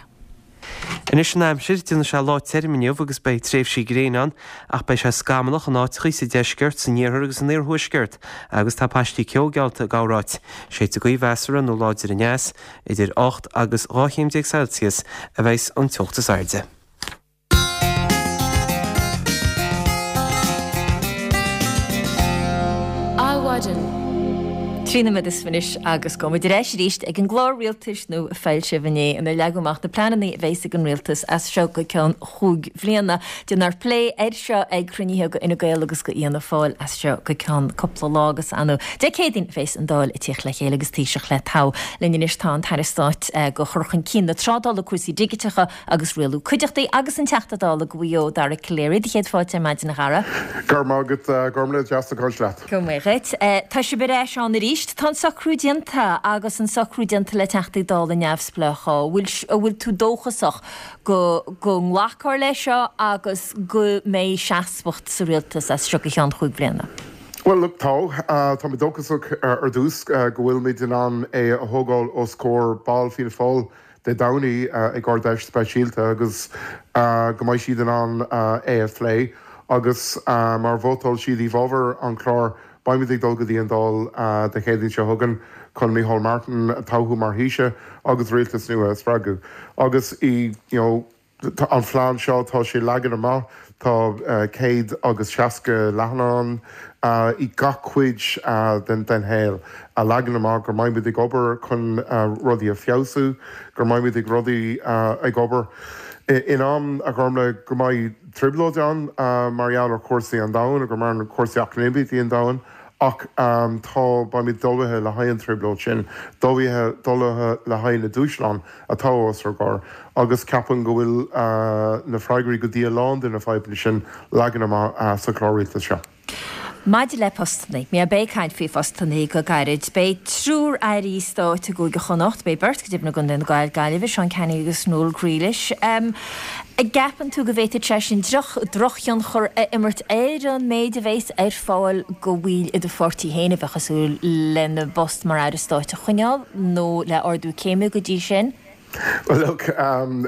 D: Anois an aimsir, déanfaidh sé lá tirim inniu agus beidh tréimhsí gréine ann ach beidh sé scamallach in áiteachaí sa deisceart, san iarthar agus san iarthuaisceart agus tá paistí ceo geallta i gcorráit. Séidfidh gaoth mheasartha nó láidir aneas, idir ocht agus dhá chéim déag Celsius a bheas an teocht is airde.
A: Adhmhaidin. Trí nóiméad is fiche anois agus gabhfaidh muid ar ais arís ag an gclár rialtais nua a foilsíodh inné inar leagadh amach na pleananna a bheas ag an rialtas as seo go ceann chúig bhliana. Déanfar plé air seo ag cruinnithe go Fhine Gael agus go Fhianna Fáil as seo go ceann cúpla lá agus ar ndóigh Dé Céadaoin a bheas an Dáil ag tíocht le chéile agus Taoiseach le toghadh. Linn anois tá an tAire Stáit go Chur Chun Cinn na Trádála, Cúrsaí Digiteacha agus Rialú Cuideachtaí agus an Teachta Dála go Mhaigh Eo, Dara Calleary. Do chéad fáilte ar maidin, a Dhara.
K: Go raibh maith agat, Gormlaith, deas a caint leat.
A: Go maith dhuit. Tá sibh ar ais ann arís. Tá an socrú déanta agus an socrú déanta le Teachtaí Dála neamhspleácha. An bhfuil, an bhfuil tú dóchasach go, go nglacfar leis seo agus go mbeidh seasmhacht sa rialtas as seo go ceann chúig bhliana?
K: Bhuel, look, tá. Tá mé dóchasach ar dtús go bhfuilimid in ann é a thógáil os comhair ball Fianna Fáil Dé Domhnaigh ag Ard-Fheis speisialta agus go mbeidh siad in ann é a phlé agus má vótáil siad i bhfabhar an chláir beimid ag dul go dtí an Dáil Dé Céadaoin seo chugainn chun Micheál Martin a toghadh mar Thaoiseach agus rialtas nua a spreagadh agus i you know an phlean seo tá sé leagan amach Tá céad agus seasca leathanach ann i gach cuid den shaol a leagann amach go mbeimid ag obair chun rudaí a feabhsú, go mbeimid ag rudaí ag obair in am, a Ghormlaith, go mbeidh trioblóid ann mar gheall ar chúrsaí an domhain agus mar chúrsaí eacnamaíochta an domhain ach tá, beimid ullmhaithe le haghaidh an trioblóid sin, ullmhaithe le haghaidh na dúshlán atá os ár gcomhair agus ceapaim go bhfuil na freagraí go dtí a lán de na fadhbanna sin leagan amach sa chlár rialtais seo.
A: Maidir le postannaí, mé beidh caint faoi phostannaí go gairid. Beidh triúr airí stáit i gCúige Chonnacht, beidh beirt go deimhin i gContae na Gaillimhe, Seán Canney agus Noel Grealish. Um, an gceapann tú go bhféadfadh sé sin droch drochthionchar a imirt ar an méid a bheas ar fáil do bhaill i do pháirtí féin a bheadh ag súil lena bpost mar aire stáit a choinneáil nó le ardú céime go dtí sin?
K: Well, look, um,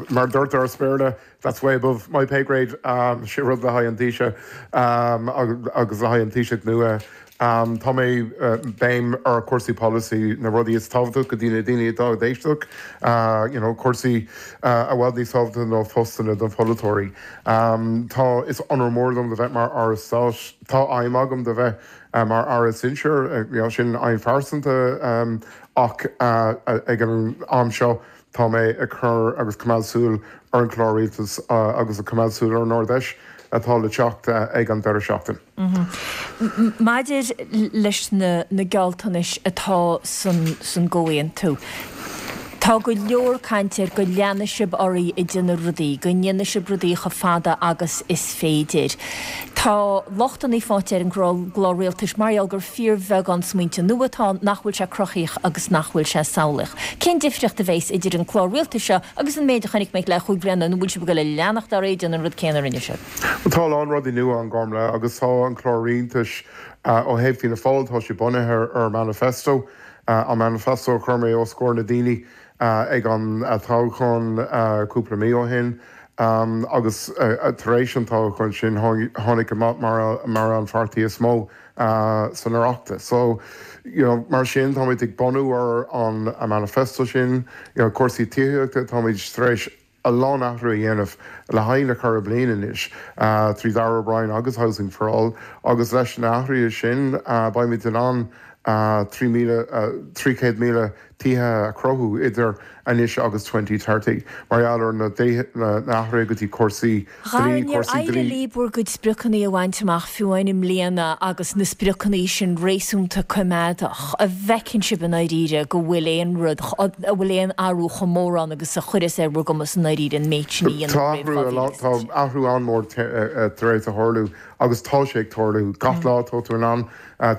K: mar deirtear as Béarla, that's way above my pay grade. Um, sé rud le haghaidh an Taoiseach um, agus le haghaidh an Taoiseach nua. Um, tá mé uh, béim ar cúrsaí policy na rudaí is tábhachtaí go dtí na daoine atá ag éisteacht, uh, you know, cúrsaí uh, a bhfuil níos tábhachtaí ná postanna don pholaiteoirí. Um, tá is onóir mór dom de bheith mar aire stáit tá aidhm agam de bheith uh, mar aire sinsir, uh, you know, sin aidhm phearsanta um, ach uh, ag an am seo tá mé ag cur agus coimeád súil ar an chlár rialtais uh, agus ag coimeád súil ar an Ard-Fheis atá le teacht uh, ag an deireadh seachtain.
A: Mm -hmm. Maidir leis na, na gealltanais atá san, san gcomhaontú. Tá go leor cainte ar go leanfaidh sibh oraibh ag déanamh rudaí, go ndéanfaidh sibh rudaí chomh fada agus is féidir. Tá lochtanna faighte ar an gclár rialtais mar gheall gur fíorbheagán smaointe nua atá ann nach bhfuil sé cruthaíoch agus nach bhfuil sé samhlaíoch. Cén difríocht a bheas idir an clár rialtais seo agus an méid a chonaic muid le cúig bliana nó bhfuil sibh ag dul a leanacht ar aghaidh déanamh an rud céanna a rinne sibh?
K: Tá a lán rudaí nua ann Gormlaith agus tá an clár rialtais ó thaobh Fianna Fáil tá sé bunaithe ar manifesto, an manifesto a chuir mé os comhair na daoine ag an toghchán cúpla mí ó shin agus tar éis an toghchán sin tháinig amach mar mar an pháirtí is mó san Oireachtas. So you know, mar sin táimid ag bunú ar an a manifesto sin, you know, cúrsaí tithíochta táimid tar éis a lán athrú a dhéanamh le haghaidh na ceithre bliana anois trí Darragh O'Brien agus Housing for All agus leis na hathruithe sin beimid in ann trí míle trí chéad míle tithe a chruthú idir anois agus twenty thirty mar gheall ar na athruithe go dtí cúrsaí
A: dlí cúrsaí dlí. Éirigh libh bhur gcuid spriocanna a bhaint amach fiú amháin i mbliana agus na spriocanna sin réasúnta coimeádach. An bhfeiceann sibh i ndáiríre go bhfuil aon rud a bhfuil aon athrú chomh mór ann agus a chuireas ar bhur gcumas i ndáiríre an méid sin a dhéanamh roimh
K: Tá athrú tá athrú an-mhór tar éis a tharlú agus tá sé ag tarlú gach lá tá tú in ann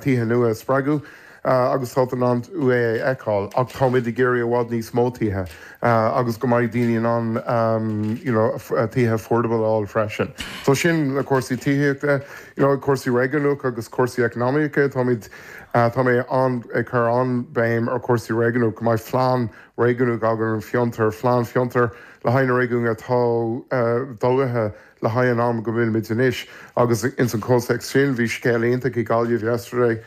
K: tithe nua a spreagadh. agus tá in ann é a fheiceáil ach táimid ag iarraidh i bhfad níos mó tithe agus go mbeidh daoine in ann you know, tithe affordable a fháil freisin. So sin na cúrsaí tithíochta, you know, cúrsaí réigiúnach agus cúrsaí eacnamaíocha táimid tá mé an ag cur an-bhéim ar cúrsaí réigiúnach go mbeidh plean réigiúnach againn an fiontar, plean fiontar le haghaidh na réigiún atá dóithe le haghaidh an am go bhfuilimid anois agus ins an chomhthéacs sin bhí scéal iontach i Gaillimh yesterday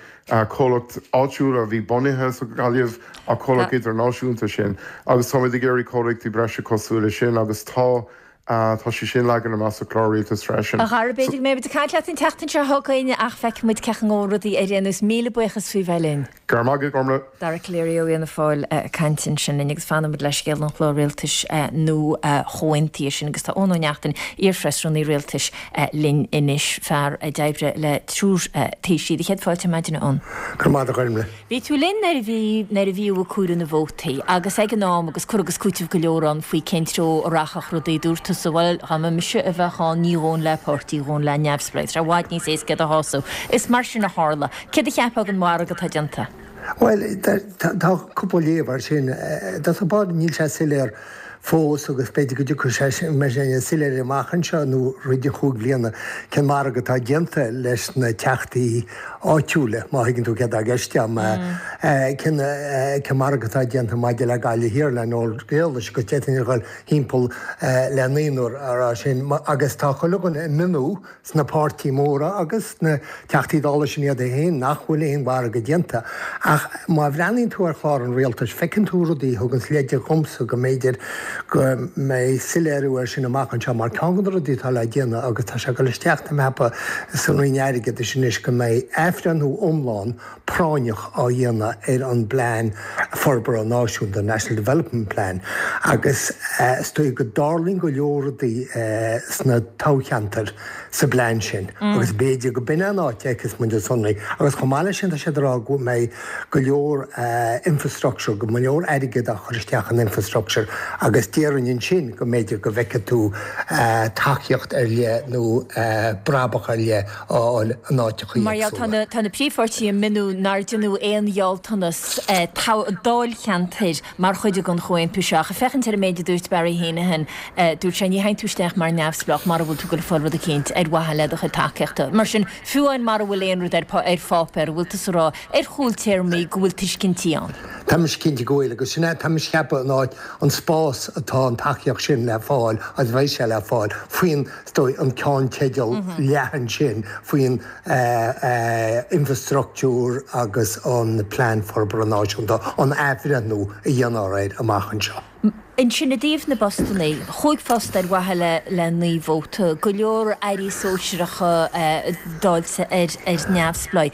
K: comhlacht áitiúil a bhí bunaithe sa Ghaillimh a comhlacht idirnáisiúnta sin agus táimid ag iarraidh comhlachtaí breise cosúil leis sin agus tá tá sé sin leagan amach sa chlár rialtais freisin.
A: A Dhara, b'fhéidir go mbeidh muid ag caint leat an tseachtain seo chugainn ach feicfidh muid cén chaoi a ngabhann rudaí ar aon nós. Míle buíochas faoi bheith linn.
K: Go raibh maith agat, Gormlaith.
A: Dara Calleary ó Fhianna Fáil ag caint ansin linn agus fanfaimid le scéal an chlár rialtais nua chomhaontaithe sin agus tá Eoin Ó Neachtain, iar-phreasrúnaí rialtais linn anois, fear a d'oibrigh le triúr taoisigh. Do chéad fáilte ar maidin, a Eoin.
L: Go raibh maith agat, a Ghormlaith.
A: Bhí tú linn nuair a bhí nuair a bhí ag comhaireamh na vótaí agus ag an am agus cur agus cúiteamh go leor ann faoi cén treo a rachadh rudaí dúirt tusa bhuel dá mba mise a bheadh ann ní ghabhfainn le páirtí ghabhfainn le neamhspleách. Tá sé i bhfad níos éasca iad a shásamh. Is mar sin a tharla. Céard a cheapfá den mhargadh atá déanta?
L: Bhuel, tá cúpla léamh air sin. Tá bád níl sé soiléir fós agus b'fhéidir go dtiocfaidh sé mar sin soiléir amach anseo nó roimh an chúig bliana cén margadh atá déanta leis na teachtaí áitiúla, má thuigeann tú céard atá i gceist agam, cén cén margadh atá déanta maidir le Gaillimh Thiar le Noel Grealish agus d'fhéadfainn a dhul thimpeall le naonúr a rá sin agus tá chuile dhuine ag mionnú sna páirtí móra agus sna Teachtaí Dála sin iad féin nach bhfuil aon mhargadh déanta. Ach má bhreathnaíonn tú ar chlár an rialtais, feiceann tú rudaí a thuganns leide dhomsa go mb'fhéidir go mbeidh soiléiriú air sin amach anseo mar ceann de na rudaí atá le déanamh agus tá sé ag dul isteach tá mé ag ceapadh sa Roinn Airgeadais anois go mbeidh athbhreithniú iomlán práinneach á dhéanamh ar an bPlean Forbartha Náisiúnta, National Development Plan, agus is dóigh go dtarlaíonn go leor rudaí sna toghcheantair sa bplean sin agus b'fhéidir go b'in an áit a fheicfeas muid na sonraí. Agus chomh maith leis sin tá siad ag rá go mbeidh go leor infrastructure, go leor airgead á chur isteach in infrastructure agus déarfainn ansin go mb'fhéidir go bhfeicfidh tú tacaíocht ar leith nó brabach ar leith á fháil in áiteacha
A: Mar gheall,
L: éagsúla.
A: tá na príomhpháirtithe ag míniú nár deineadh aon ghealltanas dáilcheantair mar chuid den chomhaontú seo. Ach ag féachaint ar an méid a dúirt Barry Heneghan, dúirt sé, ní théann tú isteach mar neamhspleách mara bhfuil tú ag goil ag fáil rud eicínt ar mhaithe le do chuid tacaíochta. Mar sin, fiú amháin mara bhfuil aon rud ar pháipéar, an bhfuil tusa ag rá ar chúltéarmaí go bhfuil tuiscintí ann?
L: Tá mise cinnte go bhfuil, agus sin é, tá mise ag ceapadh an áit, an spás atá an tacaíocht sin le fáil agus bheidh sé le fáil faoin, is dóigh, an ceannteideal leathan sin, faoin infrastruchtúr agus an Plean Forbartha Náisiúnta, an athbhreithniú a dhéanfar air amach anseo.
A: Ansin i dtaobh na bpostannaí, chúig phost ar mhaithe le le naoi vóta, go leor airí sóisearacha dáilte ar ar neamhspleáigh.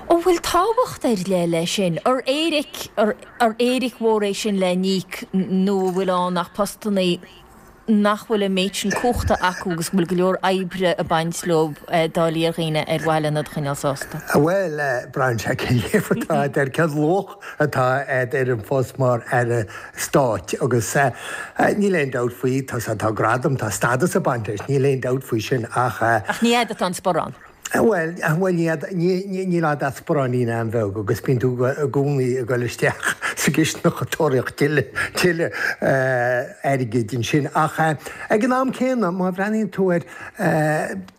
A: An bhfuil tábhacht ar leith leis sin? Ar éiric ar éiric mhór é sin le n-íoc nó an bhfuil ann ach postannaí nach bhfuil an méid sin cumhachta acu agus go bhfuil go leor oibre ag baint leo dá léir dhaoine ar mhaithe lena iad a choinneáil sásta.
L: Bhuel, braitheann sé cén léamh atá agat air, cén luach atá agat ar an phost mar Aire Stáit agus níl aon dabht faoi, tá tá gradam, tá stádas ag baint leis, níl aon dabht faoi sin ach.
A: Ach ní fhad atá an sparán.
L: Bhuel, bhuel níl fhad an sparáinín an-bheag agus bíonn tú i gcónaí ag dul isteach sa gcistineach ag tóraíocht tuilleadh airgid ansin. Ach ag an am céanna, má bhreathnaíonn tú air,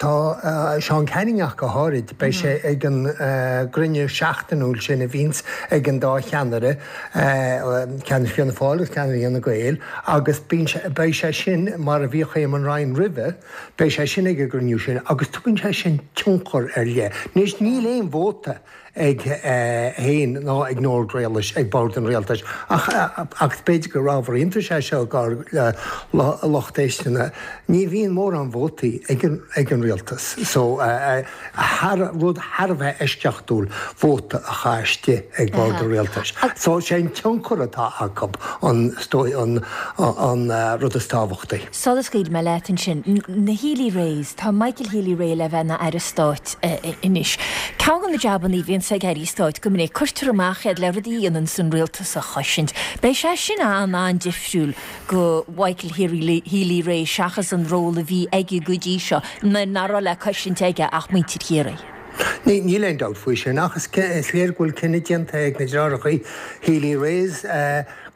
L: tá Seán Canning ach go háirid, beidh sé ag an gcruinniú seachtainiúil sin a bhíonns ag an dá cheannaire, ceannaire Fianna Fáil agus ceannaire Fhine Gael, agus beidh sé sin, mar a bhíodh Eamon Ryan roimhe, Beidh sé sin ag an gcruinniú sin agus tugann sé sin tionchar ar leith. Anois níl aon vóta ag féin ná ag Nora Grealish ag bord an rialtais ach agus b'fhéidir gur ábhar iontais é seo dár lucht éisteachta, ní bhíonn mórán vótaí ag an ag an rialtas so thar rud thar a bheith eisceachtúil vóta a chaitheamh istigh ag bord an rialtais. So sé an tionchar atá acu an an an rud is tábhachtaí.
A: Sula scaoilfidh mé leat ansin, na Healy-Raes, tá Michael Healy-Rae le bheith ina Aire Stáit anois. Ceann de na jabannaí a bhíonns ag Airí Stáit go minic, cuirtear amach iad le rudaí a dhéananns an rialtas a chosaint. Beidh sé sin an-an-difriúil go Michael Healy-Rae seachas an ról a bhí aige go dtí seo, nuair nach raibh le cosaint aige ach muintir Chiarraí.
L: Níl aon dabht faoi sin ach is léir go bhfuil cinneadh déanta ag na deartháireacha Healy-Raes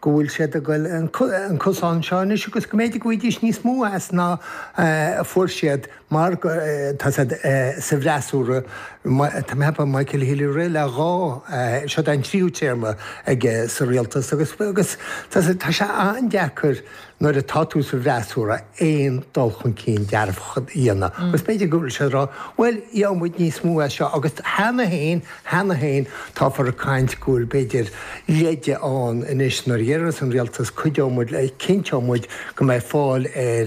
L: go bhfuil siad ag goil an cosán seo anois agus go mb'fhéidir go bhfaighidís níos mó as ná a fuair siad mar tá siad sa bhfreasúra. Tá mé ag ceapadh Michael Healy-Rae le dhá, seo é an tríú téarma aige sa rialtas agus agus tá sé an-deacair nuair atá tú sa bhfreasúra aon dul chun cinn dearfach a dhéanamh. Agus b'fhéidir go bhfuil siad ag rá, bhuel, gheobhaidh muid níos mó as seo agus cheana féin, cheana féin, táthar ag caint go bhfuil b'fhéidir leide ann anois nuair a dhéarfas an rialtas cuideoidh muid le, cinnteoidh muid go mbeidh fáil ar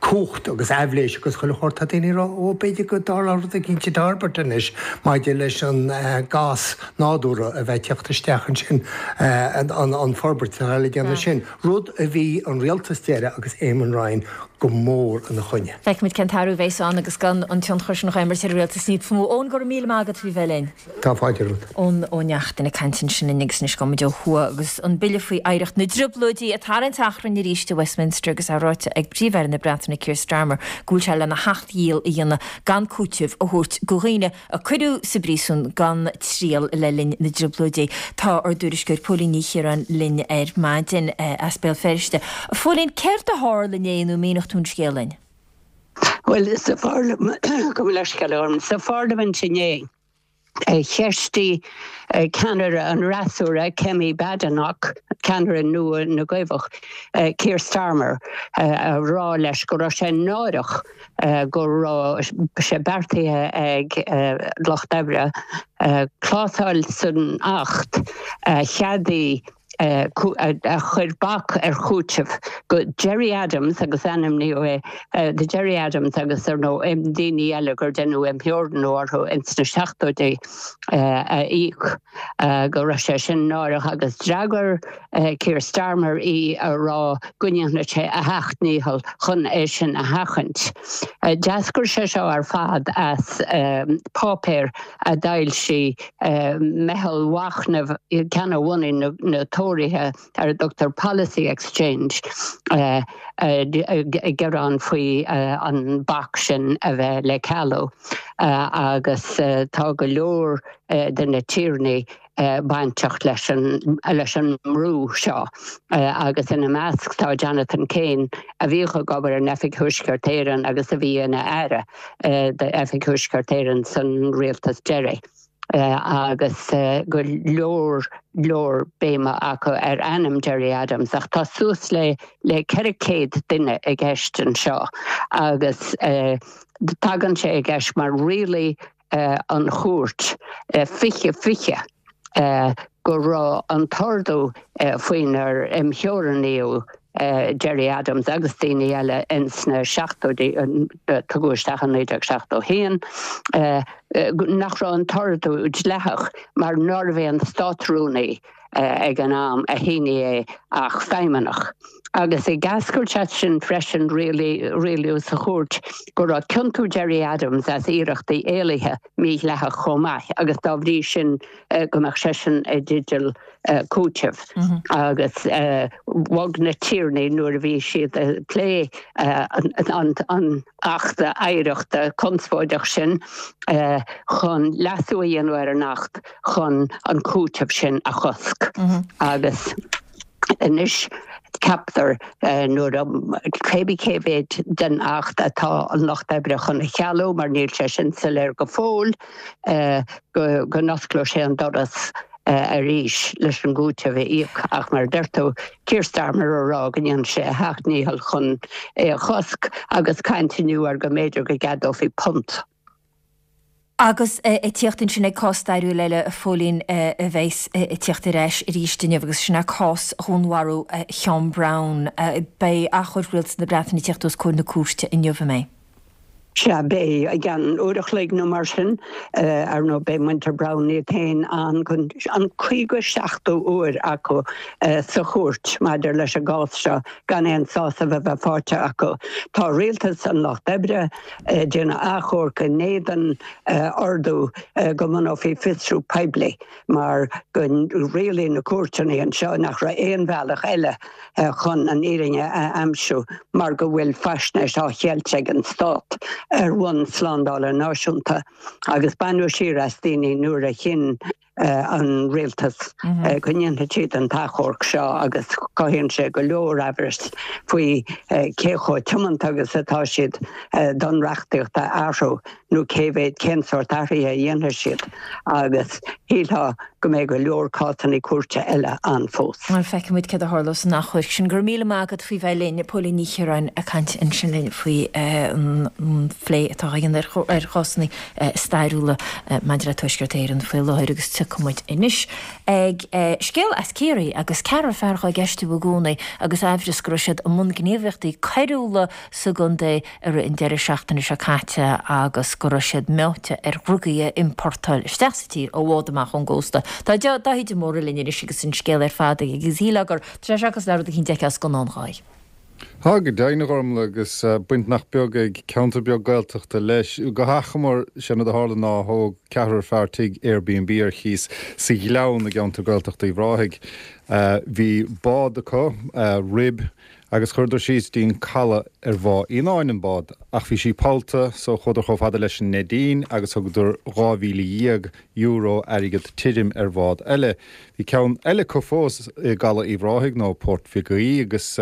L: cumhacht agus aibhléis agus chuile shórt. Tá daoine ag rá, ó, b'fhéidir go dtarlódh rud eicínt i dTairbeart anois maidir leis an gás nádúrtha a bheith ag teacht isteach ansin, an forbairt atá le déanamh sin, rud a bhí an rialtas deiridh agus Eamon Ryan go mór ina choinne.
A: Feicfimid cén t-athrú a bheas ann agus gan an tionchar sin á imirt ar an rialtas níos mó. Eoin, go raibh míle maith agat faoi bheith linn.
L: Tá fáilte romhat.
A: Eoin Ó Neachtain ag caint ansin linn agus anois gabhfaidh muid ó thuaidh agus an bille faoi oidhreacht na dTrioblóidí ag tarraingt achrainn arís i Westminster agus é ráite ag Príomh-Aire na Breataine Keir Starmer go bhfuil sé lena sheacht dhícheall a dhéanamh gan cúiteamh a thabhairt go dhaoine a cuireadh sa bpríosún gan triail le linn na dTrioblóidí. Tá ár dtuairisceoir Póilín Ní Chiaráin linn ar maidin as Béal Feirste. A Phóilín, céard a tharla inné nó míneodh tú an scéal linn?
M: Bhuel, sa pharlaimint, gabh mo leithscéal orm, sa pharlaimint inné, cheistigh ceannaire an fhreasúra, Kemi Badenoch, ceannaire nua na gCaomhach, Keir Starmer, a rá leis go raibh sé náireach go raibh sé beartaithe ag Lucht Oibre clásal san Acht a cheadaigh a chuir bac ar chúiteamh go Gerry Adams agus ainmníodh é do Gerry Adams agus ar ndóigh daoine eile gur deineadh imtheorannú orthu ins na seachtóidí a íoc go raibh sé sin náireach agus d'fhreagair Keir Starmer í a rá go ndéanfadh sé a sheacht ndícheall chun é sin a sheachaint. D'eascair sé seo ar fad as páipéar a d'fhoilsigh meitheal mhachnaimh ceann a bhunaigh na Tóraithe ar a dtugtar Policy Exchange ag gearán faoi an bac sin a bheith le cealú agus tá go leor de na tiarnaí bainteach leis an leis an mbrú seo agus ina measc tá Jonathan Kane a bhíodh ag obair in Oifig Thuaisceart Éireann agus a bhí ina aire d'Oifig Thuaisceart Éireann san rialtas deiridh. Agus go leor leor béime acu ar ainm Gerry Adams ach tá suas le le ceithre chéad duine i gceist anseo agus tagann sé i gceist mar rialaigh an chúirt fiche fiche go raibh an t-ordú faoinar imtheorannaíodh Gerry Adams agus daoine eile ins na seachtóidí, tugadh isteach in naoi déag seachtó haon, nach raibh an t-ordú dleathach mar nárbh é an Státrúnaí ag an am a shínigh é ach feidhmeannach. Agus ag eascairt as sin freisin rialaíodh sa chúirt go raibh ciontú Gerry Adams as iarrachtaí éalaithe mídhleathach chomh maith agus dá bhrí sin go mbeadh seisean i dteideal cúitimh. Agus bhog na tiarnaí nuair a bhí siad ag plé an Achta Oidhreachta conspóideach sin chun leasú a dhéanamh ar an Acht chun an cúiteamh sin a chosc. Agus anois ceaptar nuair a cébí cé mhéid den Acht atá an Lucht Oibre chun a chealú, mar níl sé sin soiléir go fóill, go n-osclódh sé an doras arís leis an gcúiteamh a íoc ach mar a deir tú, Keir Starmer a rá go ndéanfaidh sé a sheacht ndícheall chun é a chosc agus caint inniu ar go mb'fhéidir go gceadófaí punt.
A: Agus ag tíocht ansin ag cás stairiúil eile, a Phóilín, a bheas ag tíocht ar ais arís inniu agus sin é cás dhúnmharú Sheán Brown. Beidh achomharc Rialtas na Breataine ag tíocht os comhair na cúirte inniu, an mbeidh?
M: Sea, beidh, i gceann uair a chloig nó mar sin. Ar ndóigh, beidh muintir Brown iad féin ann chun an caoga seachtú uair acu sa chúirt maidir leis an gcás seo gan aon sásamh a bheith faighte acu. Tá rialtas an Lucht Oibre ag déanamh achomhairc in éadan ordú go mbunófaí fiosrú poiblí mar go rialaigh na cúirteanna anseo nach raibh aon bhealach eile chun an fhírinne a aimsiú mar go bhfuil faisnéis á cheilt ag an stát ar bhonn slándála náisiúnta agus baineadh siar as daoine nuair a chinn an rialtas go ndéanfadh siad an t-achomharc seo agus cothaíonn sé go leor amhrais faoi cé chomh tiomanta agus atá siad don reachtaíocht a athrú nó cé mhéad, cén sórt athraithe a dhéanfaidh siad agus shílfeá go mbeidh go leor cásanna cúirte eile ann fós.
A: Bhuel, feicfidh muid céard a tharlós san achomharc sin. Go raibh míle maith agat faoi bheith linn, Póilín Ní Chiaráin ag caint ansin linn faoi an phlé atá á dhéanamh ar chásanna stairiúla maidir le Tuaisceart Éireann faoi láthair agus tiocfaidh muid anois ag scéal as Ciarraí agus ceathrar fear á gceistiú i gcónaí agus aimhreas go raibh siad i mbun gníomhaíochtaí coiriúla sa gcontae i rith an deireadh seachtaine seo caite agus go raibh siad meáite ar dhrugaí a iompórtáil isteach sa tír ó bhád amach ón gcósta. Tá Dáithí de Mórdha linn anois agus an scéal ar fad aige agus shílfeá gur tá sé cosúil le rud eicínt a d'fheicfeá i scannán Dháithí.
N: Tá go deimhin, a Ghormlaith, agus baint nach beag ag ceantar beag Gaeltachta leis. Go hachomair, sé an rud a tharla ná thóg ceathrar fear tigh Airbnb ar chíos sa Ghleann i gceantar Gaeltachta Uíbh Ráthaigh. Bhí bád acu, rib, Agus chuireadar síos dtí'n caladh ar Bhá Fhíonáin an bád, ach bhí sí pollta, so chuadar chomh fada leis an Neidín agus thugadar dhá mhíle dhéag euro airgead tirim ar bhád eile. Bhí ceann eile acu fós i gcaladh Uíbh Ráthaigh, nó Port Mhig Aoidh, agus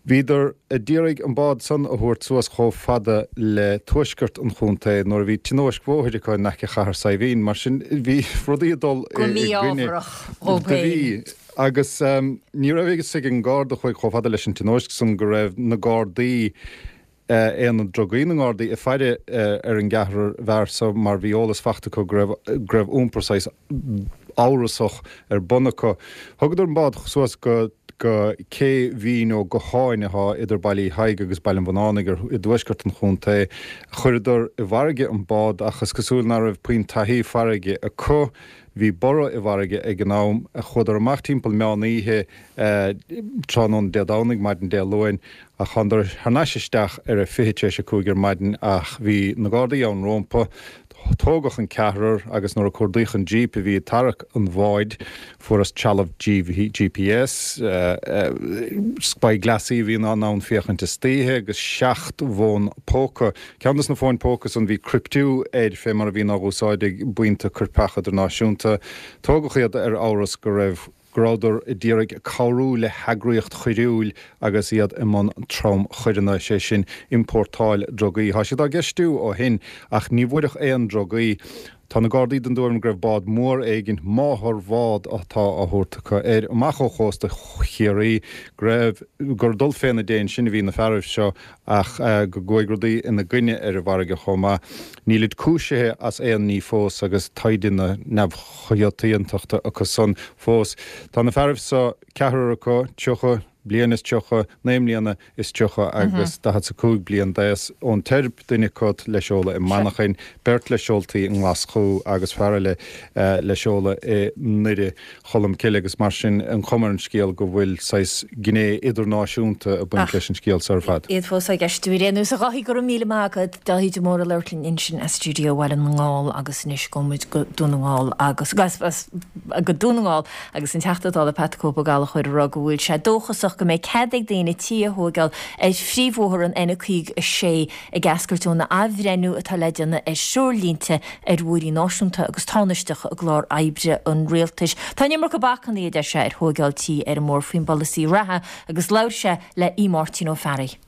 N: bhíodar a d'iarraidh an bád san a thabhairt suas chomh fada le tuaisceart an chontae nuair a bhí tionóisc bhóthair acu in aice Chathair Saidhbhín. Mar sin bhí rudaí ag dul
A: Go
N: i gcoinne.
A: mí-ámharach dhóibh
N: Do bhí.
A: féin.
N: Agus ní raibh a fhios ag an nGarda a chuaigh chomh fada leis an tionóisc san go raibh na Gardaí, Aonad Drugaí na nGardaí, ag faire ar an gceathrar bhfear so mar bhí eolas fachta acu go raibh go raibh iompar saghas amhrasach ar bun acu. Thugadar an bád suas go go cé Mhín nó go hÁine atá idir Baile Uí Thaidhg agus Baile an Bhunánaigh ar i dtuaisceart an chontae. Chuireadar i bhfarraige an bád ach is cosúil nach raibh puinn taithí farraige acu. Bhí borradh i bhfarraige ag an am. Chuadar amach timpeall meán oíche tráthnóna Dé Domhnaigh, maidin Dé Luain, ach thánadar thar n-ais isteach ar a fiche tar éis a cúig ar maidin ach bhí na Gardaí ann rómpa. Tógadh an ceathrar agus nuair a cuardaíodh an Jeep a bhí ag tarrac an bháid, fuarthas trealamh GPS, spyglassaí a bhí in ann féachaint istoíche agus seacht bhfón póca. Ceann de na fóin póca san bhí criptiú air fé mar a bhíonn á úsáid ag buíonta coirpeacha idirnáisiúnta. Tógadh iad ar amhras go raibh go rabhadar a d'iarraidh cabhrú le heagraíocht choiriúil agus iad i mbun tromchoireanna, sé sin, iompórtáil drugaí. Tá siad á gceistiú ó shin ach ní bhfuaireadh aon drugaí. Tá na Gardaí den dtuairim go raibh bád mór éigin, máthair-bhád atá á thabhairt acu air, amach ó chósta Chiarraí, go raibh, gur ag dul féna déin sin a bhí na fearaibh seo ach go gcuaigh rudaí ina gcoinne ar an bhfarraige chomh maith. Nílid cúisithe as aon ní fós agus taighde na neamhchiontachta acu san fós. Tá na fearaibh so, ceathrar acu, tríocha bliain is tríocha, naoi mbliana is tríocha agus daichead 's a cúig bliain d'aos, ón Teirb, duine acu le seoladh i Manchain, beirt le seoltaí i nGlaschú agus fear eile le seoladh i nDoire Cholm Cille agus mar sin an chuma ar an scéal go bhfuil saghas gné idirnáisiúnta ag baint leis an scéal so ar fad.
A: Iad fós á gceistiú ar aon nós. A Dháithí, go raibh míle maith agat. Dáithí de Mórdha ag labhairt linn ansin as stiúideo Bhaile na nGall agus anois gabhfaidh muid go Dún na nGall agus go Dún na nGall agus an Teachta Dála Pat the Cope Ó Gallchóir ag rá go bhfuil sé dóchasach go mbeidh cead ag daoine tí a thóigeáil ar phríomhbhóthar an N caoga a sé ag eascairt ón athbhreithniú atá le déanamh ar threoirlínte ar bhóithrí náisiúnta agus tánaisteacha i gclár oibre an rialtais. Tá an iomarca bacanna, a deir sé, ar thóigeáil tí ar an mbóthar faoin bpolasaí reatha agus labhair sé le Aodh Máirtín Ó Fearraigh.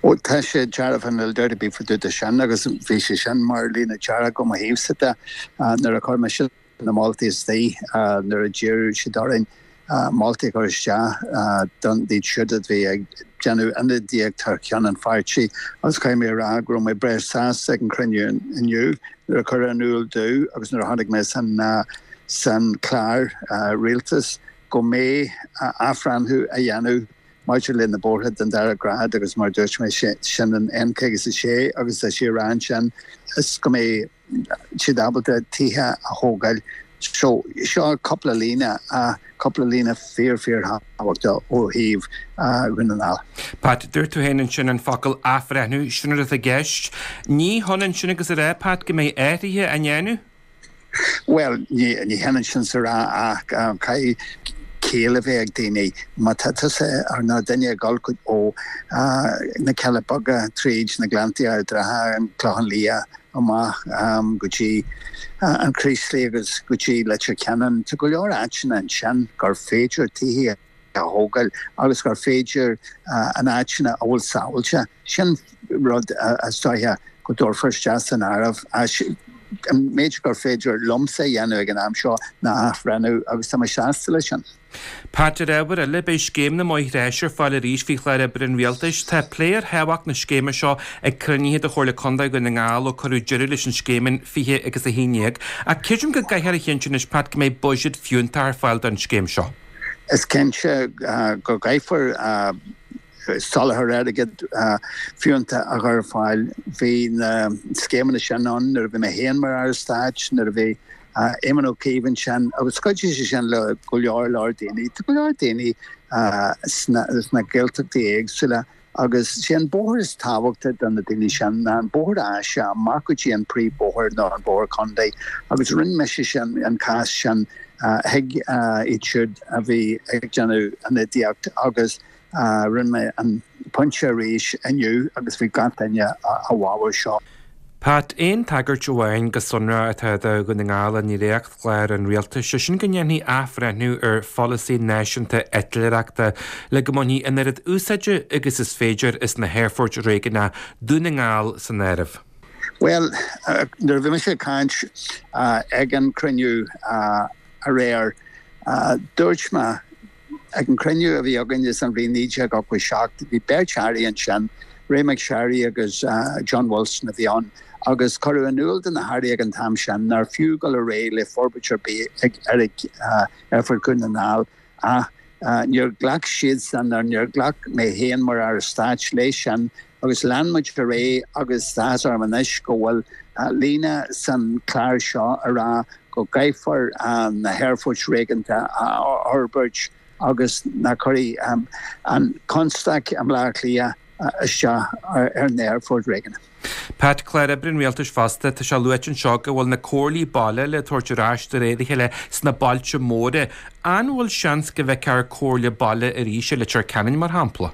O: Ó tá sé dearfa níl dabht ar bith fá dtaobh de sin agus bhí sé sin mar líne dearg ó mo thaobhsa de nuair a chuir mise na moltaí istigh nuair a d'iarr siad orainn moltaí a chur isteach don iad siúd a bhí ag déanamh ionadaíocht thar ceann an pháirtí agus caithfidh mé a rá go raibh mé breá sásta ag an chruinniú inniu nuair a cuireadh in iúl domh agus nuair a chonaic mé san san chlár rialtais go mbeidh athbhreithniú á dhéanamh maidir le na bóithre den dara grád agus mar a dúirt mé sin an N caoga is a sé agus tá sé ag rá ansin is go mbeidh siad ábalta tithe a thógáil. So, seo cúpla líne, cúpla líne fíor fíor thábhachtach ó thaobh Dhún na nGall.
P: Pat, dúirt tú féin ansin an focal athbhreithniú, sin rud atá i gceist. Ní hionann sin agus a rá, Pat, go mbeidh athruithe á ndéanamh?
O: Bhuel, ní hionann sin is a rá ach caithfidh ciall a bheith ag daoine. Má tá tusa nó duine ag dul ó na Cealla Beaga tríd na Gleanntaí Ard Ratha, an Clochán Liath amach go dtí an Chraoslaigh agus go dtí Leitir Ceanainn, tá go leor áiteanna ansin gur féidir tithe a thógáil agus gur féidir an áiteanna a bhfuil sábháilte. Sin rud is dóiche go dtabharfar isteach san áireamh. An méid gur féidir liomsa a dhéanamh ag an am seo ná athbhreithniú agus tá mé sásta leis sin.
P: Pat, ar ábhar eile, beidh Scéim na mBóithre Áise ar fáil arís faoi chlár oibre an Rialtais. Tá plé ar thábhacht na scéime seo ag cruinnithe de Chomhairle Contae Dhún na nGall ó cuireadh deireadh leis an scéim in fiche agus a haon déag. Ach creidim go gcaithfear a chinntiú anois, Pat, go mbeidh buiséad fiúntach ar fáil don scéim seo.
O: Is cinnte go gcaithfear soláthar airgid fiúntach a chur ar fáil. Bhí na scéimeanna sin ann nuair a bhí mé féin mar Aire Stáit, nuair a bhí Éamon Ó Cuív ansin agus chuidigh sé sin le go leor leor daoine. Tá go leor daoine sna Gaeltachtaí éagsúla agus sé an bóthar is tábhachta do na daoine sin ná an bóthar áise amach go dtí an príomhbhóthar nó an bóthar contae agus rinne mise sin an cás sin chuig iad siúd a bhí ag déanamh ionadaíocht agus Rinne mé an pointe arís inniu agus bhí gach duine i bhfabhar seo.
P: Pat, Aon tagairt amháin go sonrach atá do Dhún na nGall i ndréachtchlár an Rialtais, sé sin go ndéanfaí athbhreithniú ar pholasaí náisiúnta eitléireachta le go mbainfí an oiread úsáide agus is féidir as na haerfoirt réigiúnacha, Dún na nGall san áireamh.
O: Bhuel, nuair a bhí mise ag caint ag an cruinniú aréir, dúirt mé, Ag an cruinniú a bhí againne san bhliain naoi déag ochtó seacht, bhí beirt airí ansin, Ray McSharry agus John Wilson a bhí ann, Agus cuireadh in iúl do na hairí ag an t-am sin nár fiú dul ar aghaidh le forbairt ar bith ag Aerfort Dhún na nGall ach níor ghlac siadsan nó níor ghlac mé féin mar Aire Stáit leis sin agus lean muid ar aghaidh agus tá áthas orm anois go bhfuil líne san chlár seo a rá go gcaithfear na haerfoirt réigiúnda a fhorbairt agus nach gcuirfidh an constaic i mBleá Cliath isteach ar na haerfoirt réigiúnda.
P: Pat, Clár Oibre an Rialtais fosta, tá sé luaite anseo go bhfuil na comhairlí baile le tabhairt ar ais de réir a chéile sna bailte móra. An bhfuil seans go bhfeicfear comhairle baile arís i Leitir Ceanainn mar shampla?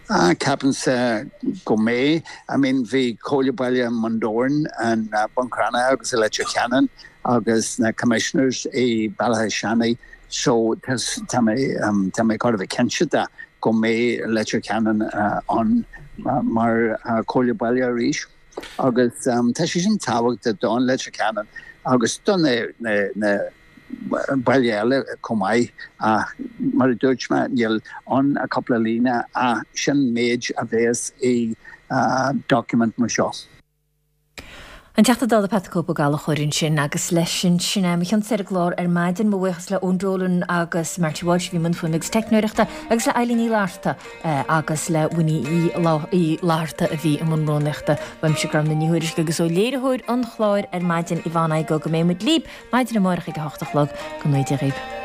O: Ah, ceapaimse go mbeidh. I mean bhí comhairle baile i mBun Dobhráin, i mBun Cranncha agus i Leitir Ceanainn agus na commissioners i Béal Átha Seanaidh so tá mé tá mé chóir a bheith cinnte de go mbeidh Leitir Ceanainn ann mar chomhairle baile arís agus tá sé sin tábhachtach don Leitir Ceanainn agus do na baile eile chomh maith ach mar a dúirt mé níl ann ach cúpla líne ach sin méid a bheas i document mar seo.
A: An Teachta Dála Pat the Cope Ó Gallchóir ansin agus leis sin sin é mo chionn-sa ar an gclár ar maidin. Mo bhuíochas le Eoin Dolan agus Marty Walsh a bhí i mbun fuaime agus teicneoireachta agus le Eilín Ní Fhlatharta agus le Winnie Uí Fhlatharta a bhí i mbun rúnaíochta. Uaimse Gormfhlaith Ní Thuairisg agus ó léiritheoir an chláir ar maidin Yvonne Igoe go mbeidh muid libh maidin amárach ag a hocht a chlog. Go ngnóthaí Dia dhaoibh.